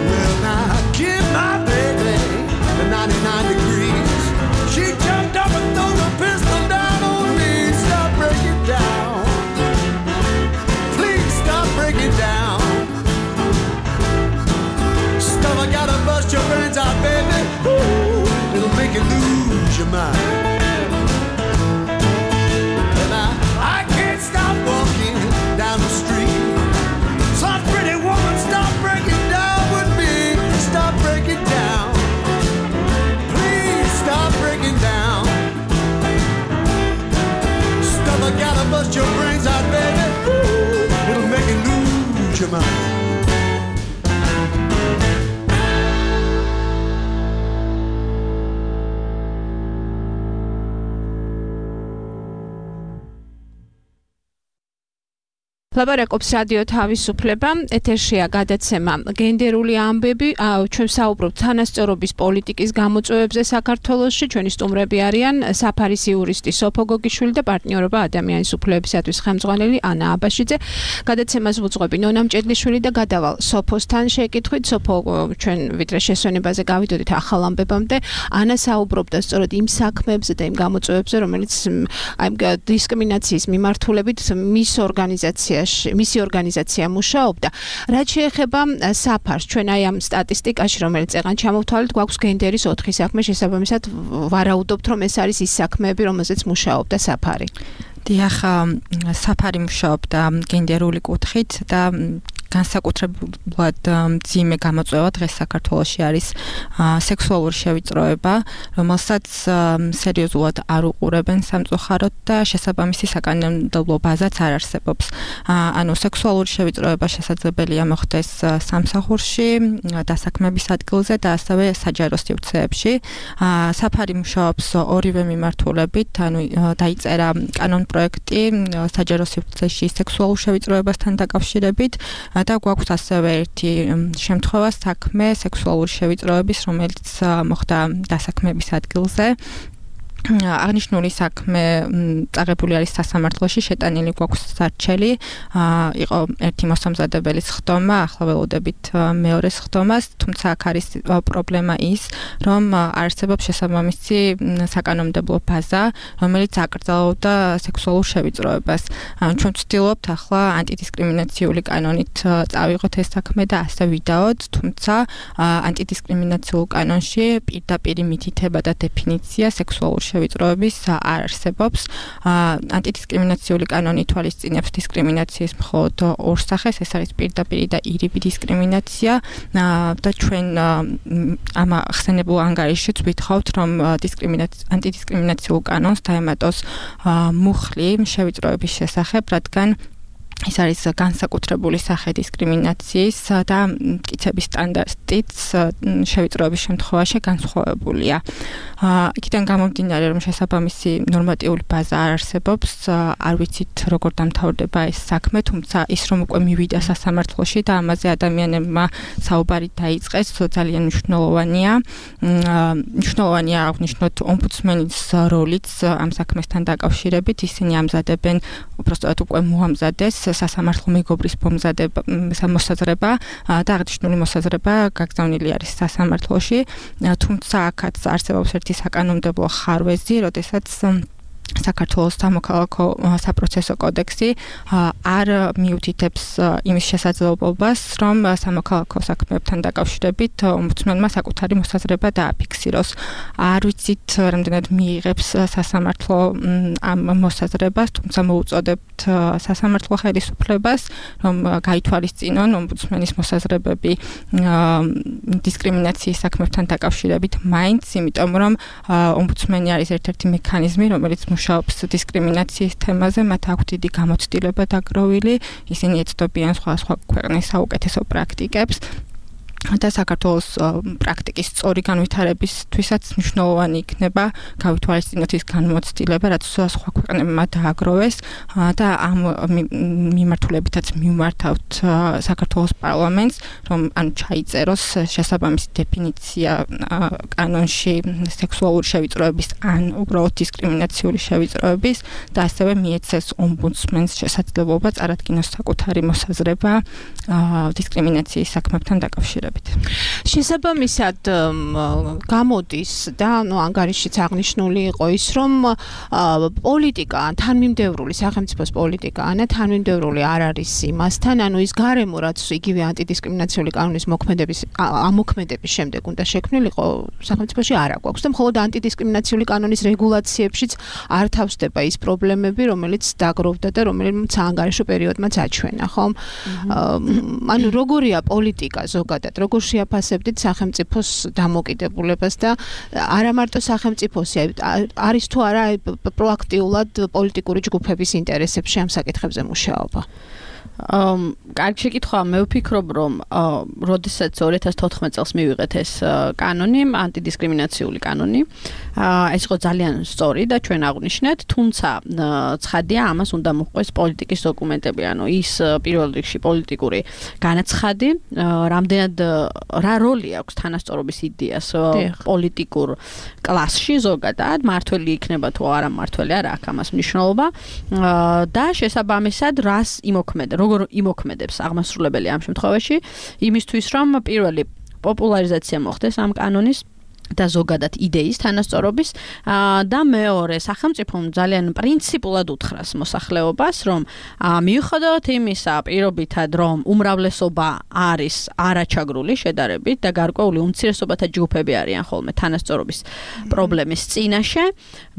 Well, now give my baby the 99 degrees. She jumped up and threw the pistol down on me. Stop breaking down. Please stop breaking down. Stuff I gotta bust your brains out, baby. Ooh, it'll make you lose your mind. And I can't stop walking down the street. Some pretty woman stop breaking down with me. Stop breaking down. Please stop breaking down. Stuff I gotta bust your brains out, baby. Ooh, it'll make you lose your mind. ლაპარაკობს რადიო თავისუფლება, ეთერშია გადაცემა გენდერული ამბები, ჩვენ საუბრობთ თანასწორობის პოლიტიკის გამოწვევებზე საქართველოში, ჩვენი სტუმრები არიან საფარის იურისტი სოფო გოგიშვილი და პარტნიორობა ადამიანის უფლებებისათვის ხელმძღვანელი ანა აბაშიძე. გადაცემას ვუძღვები ნონა მჭედლიშვილი და გადავალ სოფოსთან შეკითხვით. სოფო, ჩვენ ვიდრე შესვენებაზე გავიდოდით ახალ ამბებამდე, ანა საუბრობდა სწორედ იმ საქმეებზე და იმ გამოწვევებზე, რომელიც აი დისკრიმინაციის მიმართულებით მისი ორგანიზაცია მუშაობდა. რაც შეეხება საფარს, ჩვენ აი ამ სტატისტიკაში, რომელიც წეგან ჩამოვთვალეთ, გვაქვს გენდერის 4 საქმე, შესაბამისად ვარაუდობთ, რომ ეს არის ის საქმეები, რომელზეც მუშაობდა საფარი. დიახ, საფარი მუშაობდა გენდერული კუთხით და განსაკუთრებულად მძიმე გამოწვევა დღეს საქართველოში არის სექსუალური შევიწროება, რომელსაც სერიოზულად არ უყურებენ სამწუხაროდ და შესაბამისი საკანონმდებლო ბაზაც არ არსებობს. ანუ სექსუალური შევიწროება შესაძლებელია მოხდეს სამსახურში, დასაქმების ადგილზე და ასევე საჯარო სივრცეებში. საფარი მუშაობს ორივე მიმართულებით, ანუ დაიწერა კანონპროექტი საჯარო სივრცეში სექსუალურ შევიწროებასთან დაკავშირებით. და გვაქვს ასევე ერთი შემთხვევა საქმე სექსუალური შევიწროების, რომელიც მოხდა დასაქმების ადგილზე. აღნიშნული საქმე წაღებული არის სასამართლოში, შეტანილი გვაქვს სარჩელი. იყო ერთი მოსამზადებელის ხდომა, ახლა ველოდებით მეორეს ხდომას, თუმცა აქ არის პრობლემა ის, რომ არსებობს შესაბამისი საკანონმდებლო ბაზა, რომელიც აკრძალავდა სექსუალურ შევიწროებას. ჩვენ ვცდილობთ ახლა ანტიდისკრიმინაციული კანონით წავიღოთ ეს საქმე და ასე ვიდაოთ, თუმცა ანტიდისკრიმინაციულ კანონში პირდაპირ მითითება და დეფინიცია სექსუალურ შევიწროების არ არსებობს. ანტიდისკრიმინაციული კანონი თვალისწინებს დისკრიმინაციის მხოლოდ ორ სახეს, ეს არის პირდაპირი და ირიბი დისკრიმინაცია და ჩვენ ამ ხსენებულ ანგარიშშიც ვითხოვთ, რომ ანტიდისკრიმინაციულ კანონს დაემატოს მუხლი შევიწროების შესახებ, რადგან ის არის განსაკუთრებული სახე დისკრიმინაციის და მტკიცების სტანდარტიც შევიწროების შემთხვევაში განსხვავებულია. იქიდან გამომდინარე, რომ შესაბამისი ნორმატიული ბაზა არ არსებობს, არ ვიცით როგორ დამთავრდება ეს საქმე, თუმცა ის რომ უკვე მივიდა სასამართლოში და ამაზე ადამიანებმა საუბარი დაიწყეს, ძალიან მნიშვნელოვანია. მნიშვნელოვანია აღნიშნოთ ომბუდსმენის როლიც ამ საქმესთან დაკავშირებით, ისინი ამზადებენ უბრალოდ უკვე მოამზადეს სასამართლო მეგობრის მოსაზრება და აღნიშნული მოსაზრება გაგზავნილი არის სასამართლოში, თუმცა აქაც არსებობს ერთი საკანონმდებლო ხარვეზი, როდესაც საქართველოს სამოქალაქო საპროცესო კოდექსი არ მიუთითებს იმის შესაძლებლობას, რომ სამოქალაქო საქმეებთან დაკავშირებით ომბუდსმენმა საკუთარი მოსაზრება დააფიქსიროს. არ ვიცით, რამდენად მიიღებს სასამართლო ამ მოსაზრებას, თუმცა მოუწოდებთ სასამართლო ხელისუფლებას, რომ გაითვალისწინონ ომბუდსმენის მოსაზრებები დისკრიმინაციის საქმეებთან დაკავშირებით მაინც, იმიტომ რომ ომბუდსმენი არის ერთ-ერთი მექანიზმი, რომელიც მუშაობს დისკრიმინაციის თემაზე, მათ აქვთ დიდი გამოცდილება დაგროვილი, ისინი ეცნობიან სხვა ქვეყნის საუკეთესო პრაქტიკებს და საქართველოს პრაქტიკის სწორი განვითარებისთვისაც მნიშვნელოვანი იქნება გავითვალისწინოთ ის განმოცდილება, რაც სხვა ქვეყნებმა დააგროვეს და ამ მიმართულებითაც მივმართავთ საქართველოს პარლამენტს, რომ ჩაიწეროს შესაბამისი დეფინიცია კანონში სექსუალური შევიწროების ან უბრალოდ დისკრიმინაციული შევიწროების და ასევე მიეცეს ომბუდსმენს შესაძლებლობა წარადგინოს საკუთარი მოსაზრება დისკრიმინაციის საქმეებთან დაკავშირებით. შესაბამისად გამოდის და ანგარიშიც აღნიშნული იყო ის, რომ პოლიტიკა, თანმიმდევრული სახელმწიფოს პოლიტიკა, თანმიმდევრული არ არის იმასთან, ის გარემო, რაც იგივე ანტიდისკრიმინაციული კანონის ამოქმედების შემდეგ უნდა შექმნილიყო, სახელმწიფოში არ აქვს და მხოლოდ ანტიდისკრიმინაციული კანონის რეგულაციებშიც არ თავსდება ის პრობლემები, რომელიც დაგროვდა და რომელიც საანგარიშო პერიოდმაც აჩვენა, ხომ? როგორია პოლიტიკა ზოგადად, როგორ შეაფასებდით სახელმწიფოს დამოკიდებულებას და არა მარტო სახელმწიფოსი, არის თუ არა პროაქტიულად პოლიტიკური ჯგუფების ინტერესებში ამ საკითხებზე მუშაობა? კარგი შეკითხვაა, მე ვფიქრობ, რომ როდესაც 2014 წელს მივიღეთ ეს კანონი, ანტიდისკრიმინაციული კანონი, ეს იყო ძალიან სწორი და ჩვენ აღვნიშნეთ, თუმცა ცხადია, ამას უნდა მოჰყვეს პოლიტიკის დოკუმენტები, ის პირველ რიგში პოლიტიკური განაცხადი, რამდენად რა როლი აქვს თანასწორობის იდეას პოლიტიკურ კლასში ზოგადად, მართველი იქნება თუ არა მართველი, არა აქვს ამას მნიშვნელობა და შესაბამისად რას იმოქმედა, როგორ იმოქმედებს აღმასრულებელი ამ შემთხვევაში, იმისთვის რომ პირველი პოპულარიზაცია მოხდეს ამ კანონის და ზოგადად იდეის თანასწორობის და მეორე სახელმწიფომ ძალიან პრინციპულად უთხრას მოსახლეობას, რომ მიუხედავად იმისა პირობითად, რომ უმრავლესობა არის არაჩაგრული შედარებით და გარკვეული უმცირესობათა ჯგუფები არიან ხოლმე თანასწორობის პრობლემის წინაშე,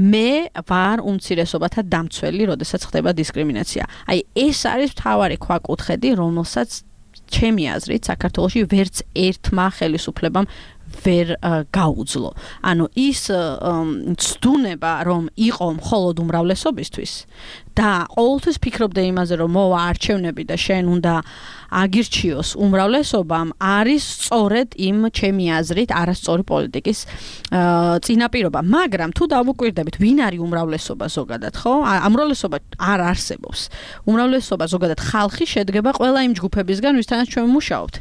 მე ვარ უმცირესობათა დამცველი, როდესაც ხდება დისკრიმინაცია. ეს არის მთავარი ქვაკუთხედი, რომელსაც ჩემი აზრით საქართველოში ვერც ერთმა ხელისუფლებამ ვერ გაუძლო. ის ცდუნება, რომ იყო მხოლოდ უმრავლესობისთვის და ყოველთვის ფიქრობდა იმაზე, რომ მოვა არჩევნები და შენ უნდა აგირჩიოს უმრავლესობამ, არის სწორედ იმ ჩემი აზრით არასწორი პოლიტიკის წინაპირობა. მაგრამ თუ დავუკვირდებით, ვინ არის უმრავლესობა ზოგადად, ხო? უმრავლესობა არ არსებობს. უმრავლესობა ზოგადად ხალხი შედგება ყველა იმ ჯგუფებისგან, ვისთანაც ჩვენ ვმუშაობთ.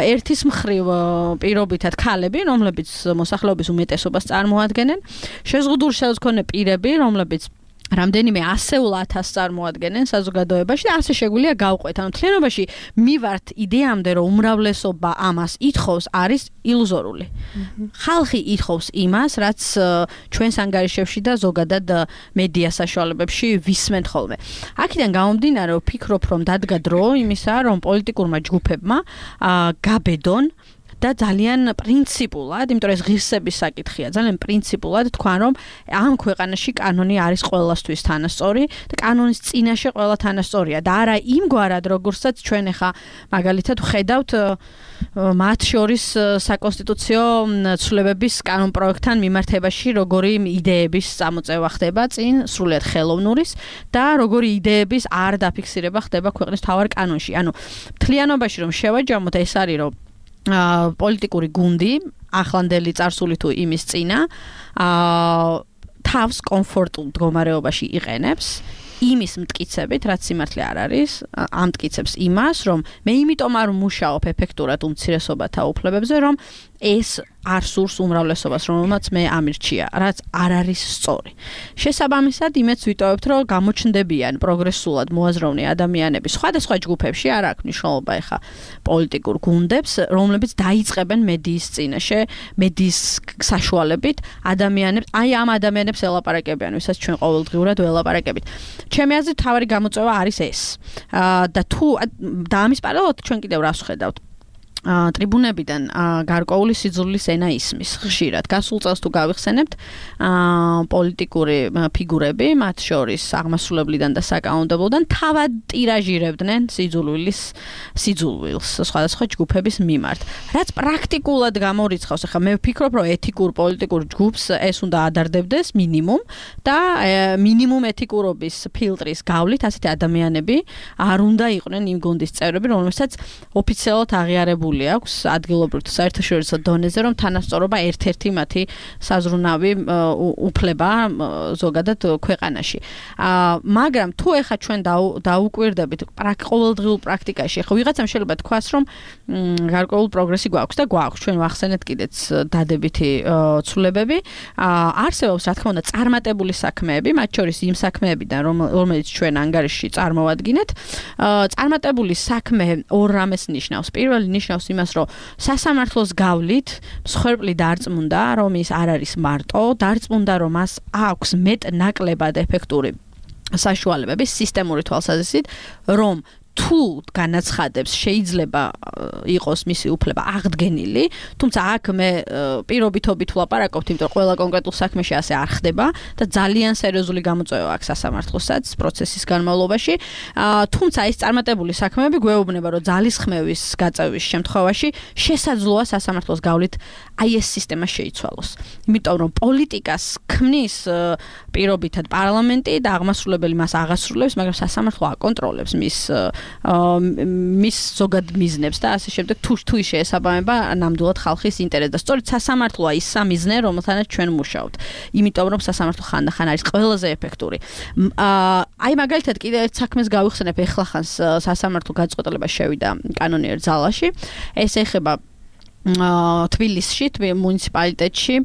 ერთის მხრივ პირობითად ქალები, რომლებიც მოსახლეობის უმეტესობას წარმოადგენენ, შეზღუდული ხელმძღვანელი პირები, რომლებიც რამდენიმე ასეულ ათასს წარმოადგენენ საზოგადოებაში და ასე შეგვიძლია გავყვეთ. მთლიანობაში მივართ იდეამდე, რომ უმრავლესობა ამას ითხოვს, არის ილუზორული. ხალხი ითხოვს იმას, რაც ჩვენს ანგარიშებში და ზოგადად მედია საშუალებებში ვისმენთ ხოლმე. აქედან გამომდინარე, ვფიქრობ, რომ დადგა დრო იმისა, რომ პოლიტიკურმა ჯგუფებმა გაბედონ და ძალიან პრინციპულად, იმიტომ რომ ეს ღირსების საკითხია, ძალიან პრინციპულად თქვან რომ ამ ქვეყანაში კანონი არის ყველასთვის თანასწორი და კანონის წინაშე ყველა თანასწორია და არა იმგვარად როგორცაც ჩვენ ახლა მაგალითად ხედავთ მათ შორის საკონსტიტუციო ცვლილებების კანონ პროექტთან მიმართებაში როგორი იდეების წამოწევა ხდება წინ სრულიად ხელოვნურის და როგორი იდეების არ დაფიქსირება ხდება ქვეყნის მთავარ კანონში. ანუ მთლიანობაში რომ შევაჯამოთ ეს არის რომ პოლიტიკური გუნდი ახლანდელი წარსული თუ იმის წინა თავს კომფორტულ მდგომარეობაში იყენებს იმის მტკიცებით, რაც სიმართლე არ არის, ამ მტკიცებს იმას, რომ მე იმიტომ არ მუშაობ ეფექტურად უმცირესობათა უფლებებზე, რომ ეს არ სურს უმრავლესობას, რომელმაც მე ამირჩია, რაც არ არის სწორი. შესაბამისად, იმეც ვიტოვებთ, რომ გამოჩნდებიან პროგრესულად მოაზროვნე ადამიანები სხვადასხვა ჯგუფებში, არ აქვს მნიშვნელობა ეხა პოლიტიკურ გუნდებს, რომლებიც დაიწყებენ მედიის წინაშე, მედიის საშუალებით ადამიანებს, აი ამ ადამიანებს ელაპარაკებიან, ვისაც ჩვენ ყოველდღიურად ველაპარაკებით. ჩემი აზრით, თავარი გამოწვევა არის ეს. და თუ და ამის პარალელურად ჩვენ კიდევ რას ვხედავთ? ტრიბუნებიდან გარკვეული სიძულვილის ენა ისმის ხშირად. გასულ წელს თუ გავიხსენებთ, პოლიტიკური ფიგურები, მათ შორის აღმასრულებლიდან და საკანონმდებლოდან თავად ტირაჟირებდნენ სიძულვილს სხვადასხვა ჯგუფების მიმართ. რაც პრაქტიკულად გამორიცხავს, ახლა მე ვფიქრობ, რომ ეთიკურ პოლიტიკურ ჯგუფს ეს უნდა ადარდებდეს მინიმუმ და მინიმუმ ეთიკურობის ფილტრის გავლით ასეთი ადამიანები არ უნდა იყვნენ იმ გუნდის წევრები, რომელსაც ოფიციალურად აღიარებული აქვს ადგილობრივ საერთაშორისო დონეზე, რომ თანასწორობა ერთ-ერთი მათი საზრუნავი უფლება ზოგადად ქვეყანაში. მაგრამ თუ ეხა ჩვენ დაუკვირდებით ყოველდღიურ პრაქტიკაში, ხო ვიღაცამ შეიძლება თქვას, რომ გარკვეული პროგრესი გვაქვს და გვაქვს. ჩვენ ვახსენეთ კიდეც დადებითი ცვლილებები. არსებობს, რა თქმა უნდა, წარმატებული საქმეები, მათ შორის იმ საქმეებიდან, რომელიც ჩვენ ანგარიშში წარმოვადგინეთ. წარმატებული საქმე ორ რამეს ნიშნავს. პირველი ნიშნავს იმას, რომ სასამართლოს გავლით მსხვერპლი დარწმუნდა, რომ ის არ არის მარტო, დარწმუნდა, რომ მას აქვს მეტ-ნაკლებად ეფექტური საშუალებები სისტემური თვალსაზრისით, რომ თუ განაცხადებს შეიძლება იყოს მისი უფლება აღდგენილი, თუმცა აქ მე პირობითობით ვლაპარაკობთ, იმიტომ რომ ყველა კონკრეტულ საქმეში ასე არ ხდება და ძალიან სერიოზული გამოწვევა აქვს სასამართლოსაც პროცესის განმავლობაში. თუმცა ეს წარმატებული საქმეები გვეუბნება, რომ ძალისხმევის გაწევის შემთხვევაში შესაძლოა სასამართლოს გავლით აი ეს სისტემა შეიცვალოს. იმიტომ რომ პოლიტიკას ქმნის პირობითად პარლამენტი და აღმასრულებელი მას აღასრულებს, მაგრამ სასამართლო აკონტროლებს მის ზოგად მიზნებს და ასე შემდეგ თუ ის შეესაბამება ნამდვილად ხალხის ინტერესს და სწორედ სასამართლოა ის სამიზნე, რომელთანაც ჩვენ მუშაობთ. იმიტომ რომ სასამართლო ხანდახან არის ყველაზე ეფექტური. აი მაგალითად კიდევ ერთ საქმეს გავიხსენებ, ეხლახანს სასამართლო გაწყვეტილება შევიდა კანონიერ ძალაში. ეს ეხება თბილისში, მუნიციპალიტეტში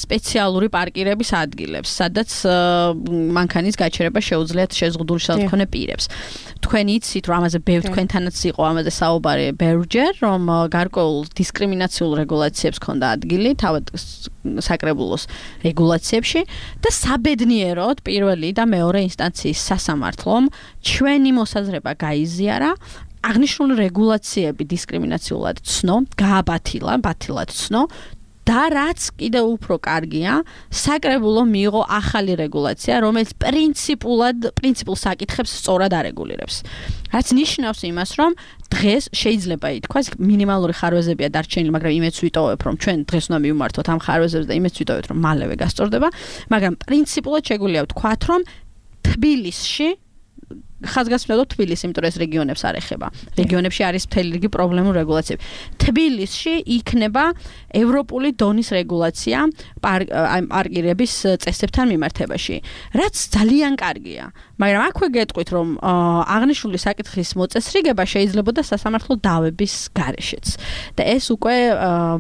სპეციალური პარკირების ადგილებს, სადაც მანქანის გაჩერება შეუძლიათ შეზღუდული შემთხვევით პირებს. თქვენ იცით, რომ ამაზე თქვენთანაც იყო ამაზე საუბარი ბევრჯერ, რომ გარკვეულ დისკრიმინაციულ რეგულაციებს ქონდა ადგილი, თავად საკრებულოს რეგულაციებში და საბედნიეროდ პირველი და მეორე ინსტანციის სასამართლომ ჩვენი მოსაზრება გაიზიარა, აღნიშნული რეგულაციები დისკრიმინაციულად ცნო, ბათილად ცნო და რაც კიდევ უფრო კარგია, საკრებულო მიიღო ახალი რეგულაცია, რომელიც პრინციპულ საკითხებს სწორად არეგულირებს. რაც ნიშნავს იმას, რომ დღეს შეიძლება ითქვას, მინიმალური ხარვეზებია დარჩენილი, მაგრამ იმეც ვიტოვებ, რომ ჩვენ დღეს უნდა მივმართოთ ამ ხარვეზებს და იმეც ვიტოვებთ, რომ მალევე გასწორდება, მაგრამ პრინციპულად შეგვიძლია ვთქვათ, რომ თბილისში ხაზგასმულობ თბილისი, იმიტომ რომ ეს რეგიონებს არ ეხება. რეგიონებში არის მთელი რიგი პრობლემური რეგულაციები. თბილისში იქნება ევროპული დონის რეგულაცია პარკირების წესებთან მიმართებაში, რაც ძალიან კარგია. მაგრამ აქვე გეტყვით, რომ აღნიშნული საკითხის მოწესრიგება შეიძლებოდა სასამართლო დავების გარეშეც. და ეს უკვე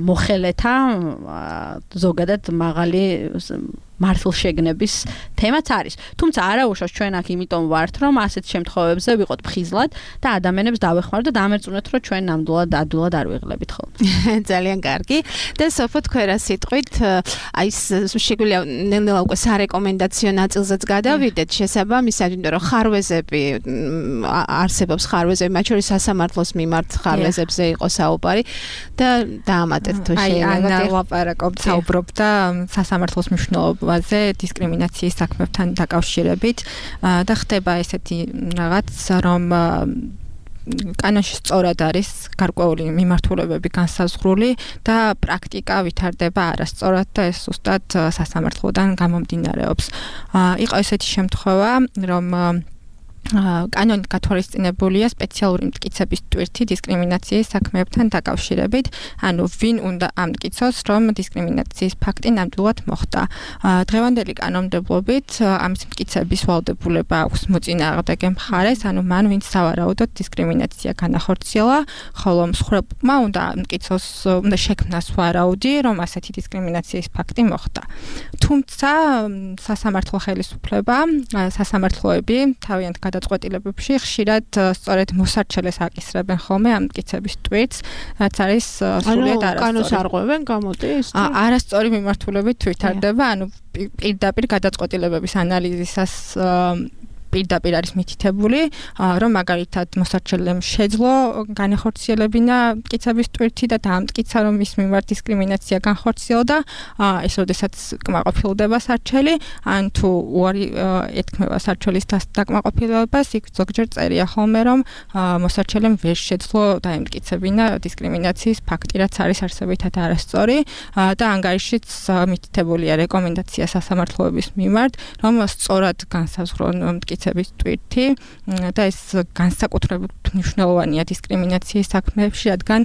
მოხელეთა ზოგადად მართლშეგნების თემაც არის. თუმცა არა უშავს ჩვენ აქ იმიტომ ვართ, რომ ასეთ შემთხვევებზე ვიყოთ ფხიზლად და ადამიანებს დავეხმაროთ და დამერწმუნოთ, რომ ჩვენ ნამდვილად ადვილად არ ვიღლებით ხოლმე. ძალიან კარგი. და სოფო თქვენ რა სიტყვით, აი შეგვიძლია ნელ-ნელა უკვე სარეკომენდაციო ნაწილზეც გადავიდეთ შესაბამისად, იმიტომ რომ ხარვეზები არსებობს ხარვეზები, მათ შორის სასამართლოს მიმართ ხარვეზებზე იყო საუბარი და დაამატეთ თუ შეიძლება. აი, ლაპარაკობთ, საუბრობდა სასამართლოს მნიშვნელობაზე დისკრიმინაციის საქმებთან დაკავშირებით და ხდება ესეთი რაღაც, რომ კანონში სწორად არის გარკვეული მიმართულებები განსაზღვრული და პრაქტიკა ვითარდება არასწორად და ეს ზუსტად სასამართლოდან გამომდინარეობს. იყო ესეთი შემთხვევა, რომ კანონით გათვალისწინებულია სპეციალური მტკიცების ტვირთი დისკრიმინაციის საქმეებთან დაკავშირებით, ანუ ვინ უნდა ამტკიცოს, რომ დისკრიმინაციის ფაქტი ნამდვილად მოხდა. დღევანდელი კანონმდებლობით ამის მტკიცების ვალდებულება აქვს მოწინააღმდეგე მხარეს, ანუ მან ვინც სავარაუდოდ დისკრიმინაცია განახორციელა, ხოლო მსხვერპლმა უნდა შექმნას ვარაუდი, რომ ასეთი დისკრიმინაციის ფაქტი მოხდა. თუმცა სასამართლო ხელისუფლება, სასამართლოები თავიანთ გადაწყვეტილებებში ხშირად სწორედ მოსარჩელეს აკისრებენ ხოლმე ამ მტკიცების ტვირთს, რაც არის სრულიად არასწორი. კანონს არღვევენ, გამოდის? არასწორი მიმართულებით ვითარდება, ანუ პირდაპირ გადაწყვეტილებების ანალიზისას პირდაპირ არის მითითებული, რომ მაგალითად მოსარჩელემ შეძლო განახორციელებინა მტკიცების ტვირთი და დაამტკიცა, რომ მის მიმართ დისკრიმინაცია განხორციელდა, ეს როდესაც კმაყოფილდება სარჩელი, ან თუ უარი ეთქმება სარჩელის დაკმაყოფილებას, იქ ზოგჯერ წერია ხოლმე, რომ მოსარჩელემ ვერ შეძლო დაემტკიცებინა დისკრიმინაციის ფაქტი, რაც არის არსებითად არასწორი და ანგარიშიც მითითებულია რეკომენდაცია სასამართლოების მიმართ, რომ სწორად განსაზღვრონ მტკიცების ტვირთი და ეს განსაკუთრებით მნიშვნელოვანია დისკრიმინაციის საქმეებში, რადგან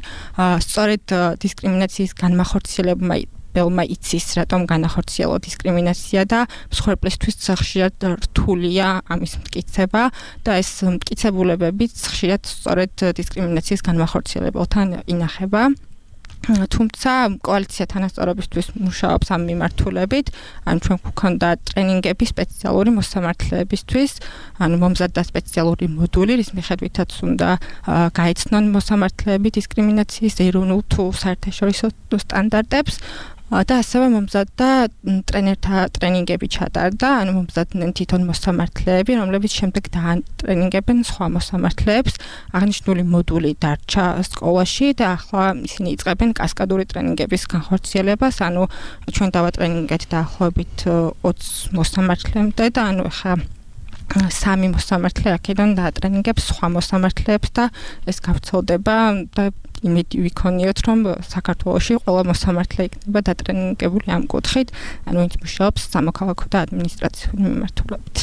სწორედ დისკრიმინაციის განმახორციელებმა იცის, რატომ განახორციელო დისკრიმინაცია და მსხვერპლისთვის ხშირად რთულია ამის მტკიცება და ეს მტკიცებულებებიც ხშირად სწორედ დისკრიმინაციის განმახორციელებელთან ინახება. თუმცა კოალიცია თანასწორობისთვის მუშაობს ამ მიმართულებით, ანუ ჩვენ გვქონდა ტრენინგები სპეციალური მოსამართლეებისთვის, ანუ მომზადდა სპეციალური მოდული, რის მიხედვითაც უნდა გაეცნონ მოსამართლეები დისკრიმინაციის ეროვნულ თუ საერთაშორისო სტანდარტებს. და ასევე მომზადდა ტრენერთა ტრენინგები ჩატარდა, ანუ მომზადდნენ თვითონ მოსამართლეები, რომლებიც შემდეგ დაატრენინგებენ სხვა მოსამართლეებს. აღნიშნული მოდული დარჩა სკოლაში და ახლა ისინი იწყებენ კასკადური ტრენინგების განხორციელებას, ანუ ჩვენ დავატრენინგეთ დაახლოებით 20 მოსამართლემდე და ანუ ახლა 3 მოსამართლე აქედან დაატრენინგებს სხვა მოსამართლეებს და ეს გავრცელდება და იმედი ვიქონიოთ, რომ საქართველოში ყველა მოსამართლე იქნება დატრენინგებული ამ კუთხით, ანუ ვინც მუშაობს სამოქალაქო და ადმინისტრაციული მიმართულებით.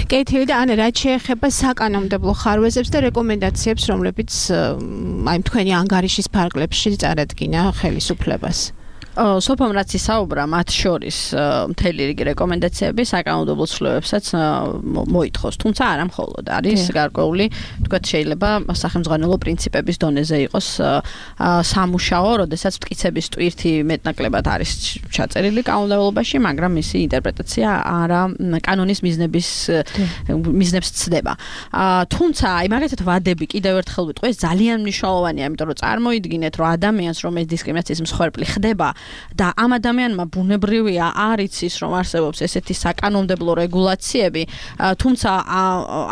კეთილი და ანა, რაც შეეხება საკანონმდებლო ხარვეზებს და რეკომენდაციებს, რომლებიც აი თქვენი ანგარიშის ფარგლებში წარადგინა ხელისუფლებას. სოფომ რაც ისაუბრა, მათ შორის მთელი რიგი რეკომენდაციები საკანონმდებლო ცვლილებებსაც მოითხოვს, თუმცა არა მხოლოდ არის გარკვეული, თქვათ შეიძლება სახელმძღვანელო პრინციპების დონეზე იყოს სამუშაო, როდესაც მტკიცების ტვირთი მეტნაკლებად არის ჩაწერილი კანონმდებლობაში, მაგრამ მისი ინტერპრეტაცია არა კანონის მიზნებს ცდება. თუმცა აი მაგალითად ვადები კიდევ ერთხელ ვიტყვი, ეს ძალიან მნიშვნელოვანია, იმიტომ რომ წარმოიდგინეთ, რომ ადამიანს, რომ ეს დისკრიმინაციის მსხვერპლი ხდება და ამ ადამიანმა ბუნებრივია არ იცის, რომ არსებობს ესეთი საკანონმდებლო რეგულაციები, თუმცა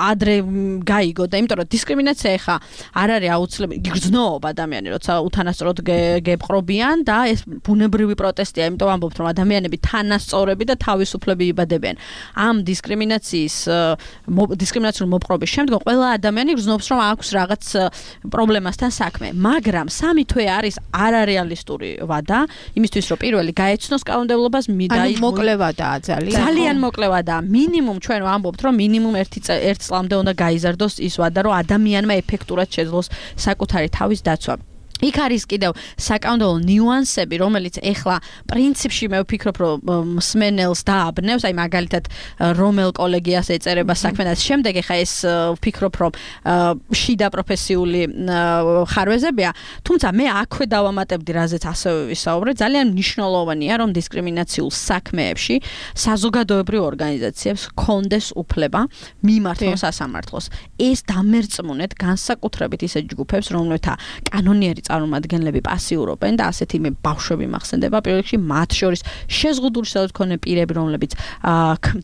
ადრე გაიგო და იმიტომ რომ დისკრიმინაცია ეხა არ არის აუცილებელი, გრძნობს ადამიანი, როცა უთანასწოროდ გეპყრობიან და ეს ბუნებრივი პროტესტია, იმიტომ ამბობთ, რომ ადამიანები თანასწორები და თავისუფლები იბადებიან. ამ დისკრიმინაციული მოპყრობის შემდგომ ყველა ადამიანი გრძნობს, რომ აქვს რაღაც პრობლემასთან საქმე, მაგრამ 3 თვე არის არარეალისტური ვადა. იმისთვის რომ პირველი გაეცნოს კანონმდებლობას, მოკლევადაა ძალიან მოკლევადაა. მინიმუმ ჩვენ ვამბობთ, რომ მინიმუმ 1 წლამდე უნდა გაიზარდოს ის ვადა, რომ ადამიანმა ეფექტურად შეძლოს საკუთარი თავის დაცვა. იქ არის კიდევ საკანონმდებლო ნიუანსები, რომელიც ეხლა პრინციპში მე ვფიქრობ, რომ მსმენელს დააბნევს, აი მაგალითად რომელ კოლეგიას ეწერება საქმე და შემდეგ ეხლა ეს ვფიქრობ, რომ შიდა პროფესიული ხარვეზებია, თუმცა მე აქვე დავამატებდი, რაზეც ასევე ვისაუბრე, ძალიან მნიშვნელოვანია, რომ დისკრიმინაციულ საქმეებში საზოგადოებრივ ორგანიზაციებს ჰქონდეს უფლება მიმართონ სასამართლოს. ეს დამერწმუნეთ განსაკუთრებით ისეთ ჯგუფებს, რომელთა კანონიერი წარმომადგენლები პასიურობენ და ასეთი მე ბავშვები მახსენდება პირველ რიგში მათ შორის შეზღუდული მქონე პირები, რომლებიც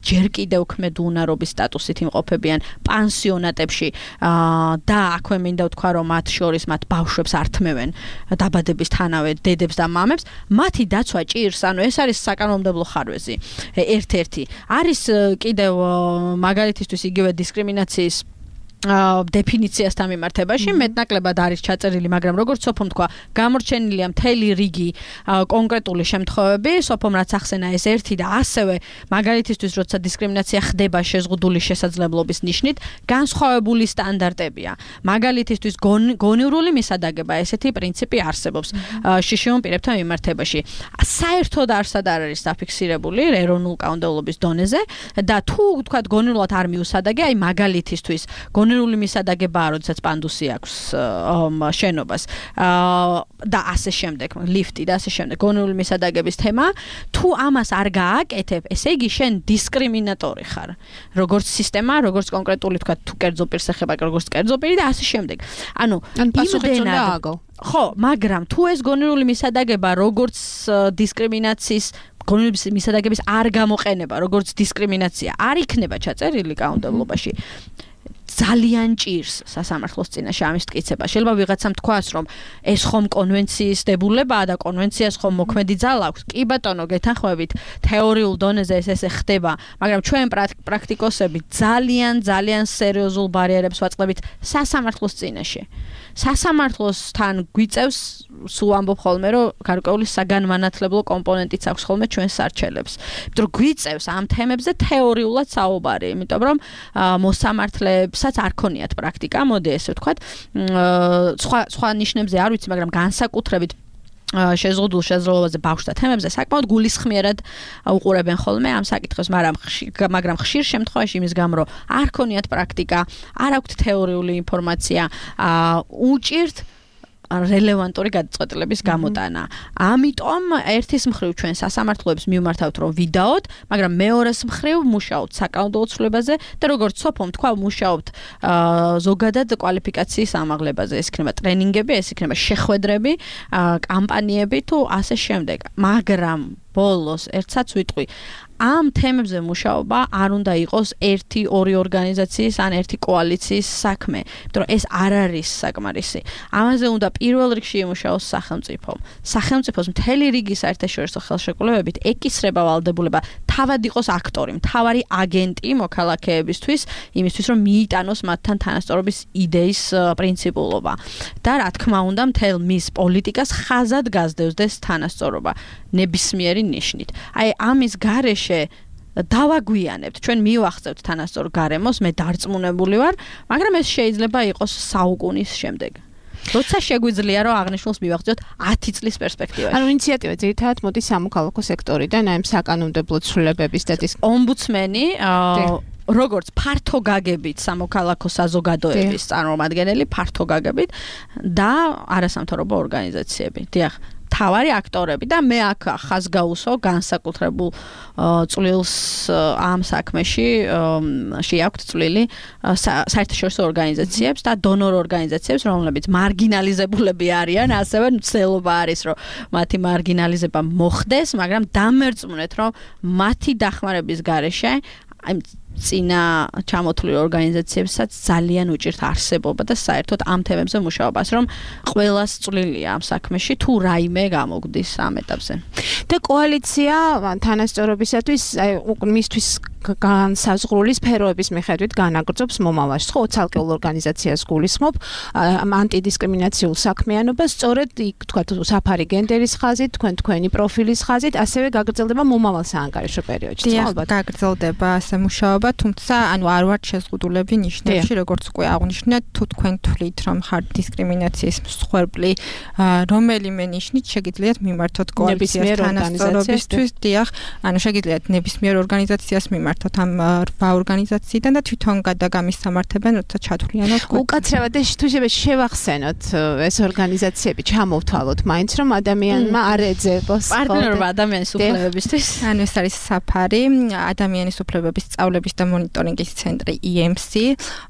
ჯერ კიდევ ქმედ უნარობის სტატუსით იმყოფებიან პანსიონატებში და აქვე მინდა ვთქვა, რომ მათ შორის მათ ბავშვებს ართმევენ დაბადებისთანავე დედებს და მამებს, მათი დაცვა ჭირს, ანუ ეს არის საკანონმდებლო ხარვეზი ერთ-ერთი. არის კიდევ მაგალითისთვის იგივე დისკრიმინაციის დეფინიციასთან მიმართებაში მეტნაკლებად არის ჩაწერილი, მაგრამ როგორც სოფომ თქვა, გამორჩენილია მთელი რიგი კონკრეტული შემთხვევები, სოფომ რაც ახსენა ეს ერთი და ასევე მაგალითისთვის როცა დისკრიმინაცია ხდება შეზღუდული შესაძლებლობის ნიშნით, განსხვავებული სტანდარტებია. მაგალითისთვის გონივრული მისადაგება, ესეთი პრინციპი არსებობს შიშიონ პირებთან მიმართებაში. საერთოდ არსად არ არის დაფიქსირებული ეროვნულ კანონმდებლობის დონეზე და თუ თქვა გონივრულად არ მიუსადაგე, აი მაგალითისთვის გონივრული მისადაგებაა, როდესაც პანდუსი აქვს შენობას და ასე შემდეგ, ლიფტი და ასე შემდეგ. გონივრული მისადაგების თემა, თუ ამას არ გააკეთებ, ესე იგი შენ დისკრიმინატორი ხარ. როგორც სისტემა, როგორც კონკრეტული თქვა, თუ კერძო პირს ეხება, როგორც კერძო პირი და ასე შემდეგ. ანუ იმდენად ხო, მაგრამ თუ ეს გონივრული მისადაგება როგორც დისკრიმინაციის გონივრული მისადაგების არ გამოყენება, როგორც დისკრიმინაცია არ იქნება ჩაწერილი კანონმდებლობაში, ძალიან ჭირს სასამართლოს წინაშე ამის მტკიცება. შეიძლება ვიღაცამ თქვას, რომ ეს ხომ კონვენციის დებულებაა და კონვენციას ხომ მოქმედი ძალა აქვს. კი ბატონო, გეთანხმებით, თეორიულ დონეზე ეს ხდება, მაგრამ ჩვენ პრაქტიკოსები ძალიან სერიოზულ ბარიერებს ვაწყდებით სასამართლოს წინაშე. სასამართლოსთან გვიწევს, სულ ამბობ ხოლმე, რომ გარკვეული საგანმანათლებლო კომპონენტიც აქვს ხოლმე ჩვენს სარჩელებს. იმიტომ რომ გვიწევს ამ თემებზე თეორიულად საუბარი, იმიტომ რომ მოსამართლებსაც არ ქონიათ პრაქტიკა, მოდი ესე ვთქვათ, სხვა ნიშნებზე არ ვიცი, მაგრამ განსაკუთრებით შეზღუდულ შესაძლებლობაზე ბავშვთა თემებზე საკმაოდ გულისხმიერად უყურებენ ხოლმე ამ საკითხებს, მაგრამ ხშირ შემთხვევაში იმის გამო, რომ არ ქონიათ პრაქტიკა, არ აქვთ თეორიული ინფორმაცია, უჭირთ რელევანტური გადაწყვეტილების გამოტანა. ამიტომ ერთის მხრივ ჩვენ სასამართლოებს მივმართავთ, რომ ვიდაოთ, მაგრამ მეორეს მხრივ მუშაობთ საკანონმდებლო ცვლილებაზე და როგორც სოფომ თქვა, მუშაობთ ზოგადად კვალიფიკაციის ამაღლებაზე. ეს იქნება ტრენინგები, ეს იქნება შეხვედრები, კამპანიები თუ ასე შემდეგ. მაგრამ ბოლოს ერთსაც ვიტყვი, ამ თემებზე მუშაობა არ უნდა იყოს 1-2 ორგანიზაციის ან 1 კოალიციის საქმე, იმიტომ რომ ეს არ არის საკმარისი. ამაზე უნდა პირველ რიგში იმუშაოს სახელმწიფო. სახელმწიფოს მთელი რიგი საერთაშორისო ხელშეკრულებებით ეკისრება ვალდებულება თავად იყოს აქტორი, მთავარი აგენტი მოქალაქეებისთვის, იმისთვის რომ მიიტანოს მათთან თანასწორობის იდეის პრინციპულობა. და რა თქმა უნდა, მთელ მის პოლიტიკას ხაზად გასდევს თანასწორობა ნებისმიერი ნიშნით. აი ამის გარეშე დავაგვიანებთ, ჩვენ მივახცევთ თანასწორ გარემოს, მე დარწმუნებული ვარ, მაგრამ ეს შეიძლება იყოს საუკუნის შემდეგ. როცა შეგვიძლია რომ აღნიშნულს მივახციოთ 10 წლის პერსპექტივაში. ანუ ინიციატივა ძირითადად მოდის სამოქალაქო სექტორიდან, აი საკანონმდებლო ცვლილებების და ომბუდსმენი როგორც ფართო გაგებით სამოქალაქო საზოგადოების წარმომადგენელი, ფართო გაგებით და არასამთავრობო ორგანიზაციები. დიახ, თავარი აქტორები და მე აქ ხაზგაუსო განსაკუთრებულ წვლილს ამ საქმეში შეაქვთ წვლილი საერთაშორისო ორგანიზაციებს და დონორ ორგანიზაციებს, რომლებიც მარგინალიზებულები არიან, ასევე მცდელობა არის, რომ მათი მარგინალიზება მოხდეს, მაგრამ დამერწმუნეთ, რომ მათი დახმარების გარეშე აი წინა ჩამოთვლილი ორგანიზაციებსაც ძალიან უჭირთ არსებობა და საერთოდ ამ თემებზე მუშაობას, რომ ყველას წვლილია ამ საქმეში თუ რაიმე გამოგვდის ამ ეტაპზე. და კოალიცია თანასწორობისათვის მისთვის განსაზღვრული სფეროების მიხედვით განაგრძობს მომავალს. ხო, ცალკეულ ორგანიზაციას გულისხმობ ანტიდისკრიმინაციულ საქმიანობას, სწორედ იქ თქვათ საფარი გენდერის ხაზით, თქვენი პროფილის ხაზით, ასევე გაგრძელდება მომავალ საანგარიშო პერიოდში. ალბათ გაგრძელდება ასე მუშაობა. მუშაობა, თუმცა ანუ არ ვართ შეზღუდულები ნიშნებში, როგორც უკვე აღნიშნეთ, თუ თქვენ თვლით, რომ ხართ დისკრიმინაციის მსხვერპლი, რომელიმე ნიშნით შეგიძლიათ მიმართოთ კოალიციის თანასწორობისთვის, დიახ, ანუ შეგიძლიათ ნებისმიერ ორგანიზაციას მიმართოთ ამ 8 ორგანიზაციიდან და თვითონ გადაგამისამართებენ, როცა ჩათვლიანად უკაცრავად თუ შევახსენოთ ეს ორგანიზაციები, ჩამოვთვალოთ მაინც რომ ადამიანმა არ ეძებოს პარტნიორობა ადამიანის უფლებებისთვის. ანუ ეს არის საფარი, ადამიანის უფლებების სწავლების და მონიტორინგის ცენტრი EMC,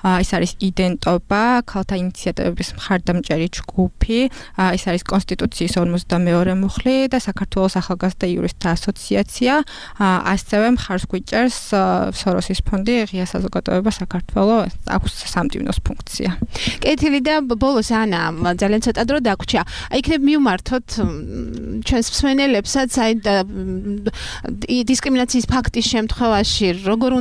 ეს არის იდენტობა, ქალთა ინიციატივების მხარდამჭერი ჯგუფი, ეს არის კონსტიტუციის 42 მუხლი და საქართველოს ახალგაზრდა იურისტთა ასოციაცია, ასევე მხარს გვიჭერს სოროსის ფონდი, ღია საზოგადოება საქართველოს, აქვს სამტივნოს ფუნქცია. კეთილი და ბოლოს ანა ძალიან ცოტა დრო დაგვრჩა. იქნებ მივმართოთ ჩვენს მსმენელებსაც აი დისკრიმინაციის ფაქტის შემთხვევაში როგორ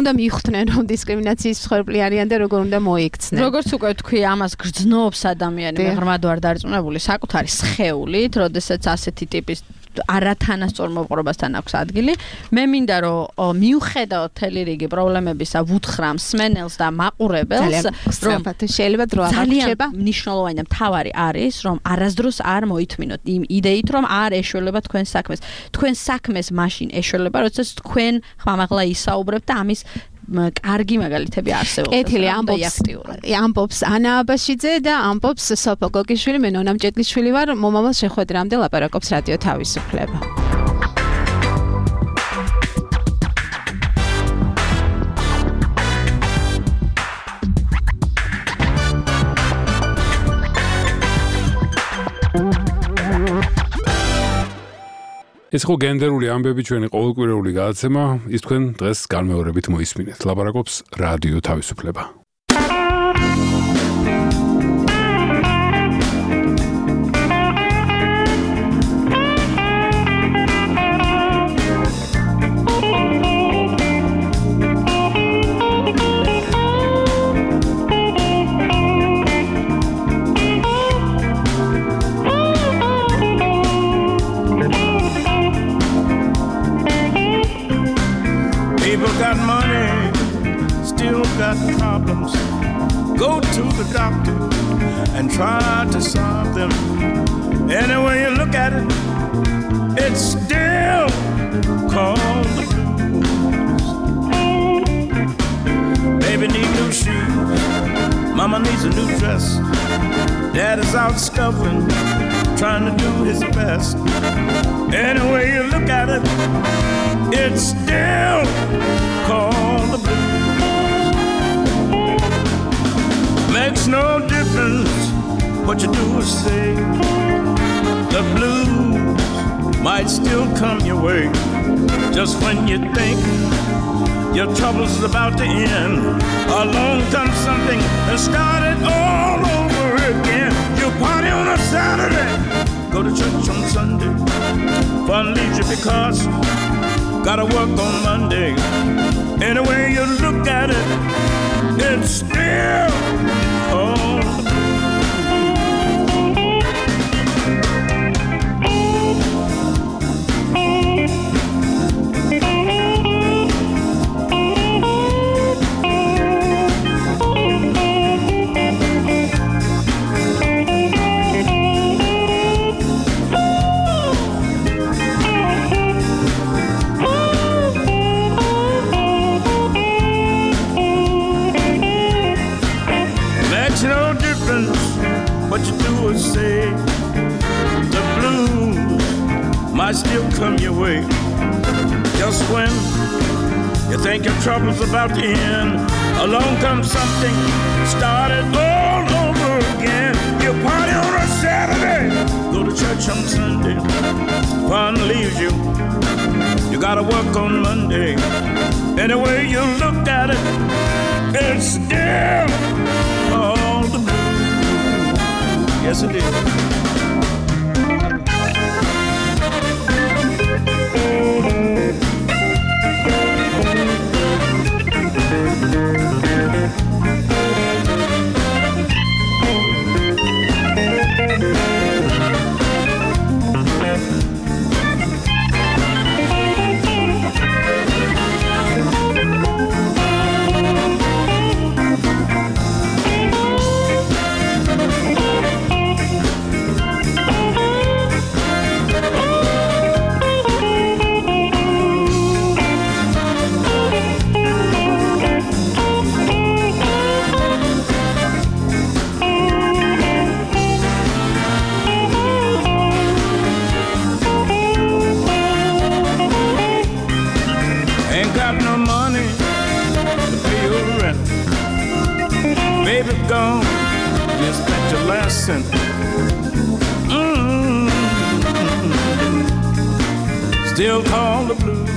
უნდა მიხვდნენ რომ დისკრიმინაციის მსხვერპლი არიან და როგორ უნდა მოიქცნენ. როგორც უკვე თქვი, ამას გრძნობს ადამიანი, ღრმად ვარ დარწმუნებული საკუთარი სხეულით, როდესაც ასეთი ტიპის არათანასწორ მოპყრობასთან აქვს ადგილი. მე მინდა რომ მიუხედავად მთელი რიგი პრობლემებისა ვუთხრა მსმენელს და მაყურებელს, რომ შეიძლება დრო აღარჩება. მნიშვნელოვანი და მთავარი არის, რომ არასდროს არ მოითმინოთ იმ იდეით, რომ არ ეშველება თქვენ საქმეს. თქვენ საქმეს მაშინ ეშველება, როდესაც თქვენ ხმამაღლა ისაუბრებთ და ამის კარგი მაგალითები არსებობს. კეთილი ამბობს ანა აბაშიძე და ამბობს სოფო გოგიშვილი, მე ნონა მჭედლიშვილი ვარ, მომავალ შეხვედრამდე ლაპარაკობს რადიო თავისუფლება. ეს ხო გენდერული ამბები ჩვენი ყოველკვირეული გადაცემა, ის თქვენ დღეს განმეორებით მოისმინეთ. ლაპარაკობს რადიო თავისუფლება. Got money, still got problems. Go to the doctor and try to solve them. Any way you look at it, it's still called the blues. Baby needs new shoes, mama needs a new dress. Dad is out scuffling, trying to do his best. Any way you look at it, it's still called the blues. Makes no difference what you do or say. The blues might still come your way. Just when you think your trouble's about to end, along comes something and start it all over again. You party on a Saturday, go to church on Sunday. Fun leaves you because gotta work on Monday. Any way you look at it, it's still all the what you do or say. The blues might still come your way. Just when you think your trouble's about to end, along comes something, start it all over again. You party on a Saturday, go to church on Sunday. Fun leaves you, you gotta work on Monday. Any way you look at it, it's still all the blues. Yes, it is. last sentence. Still call the blues.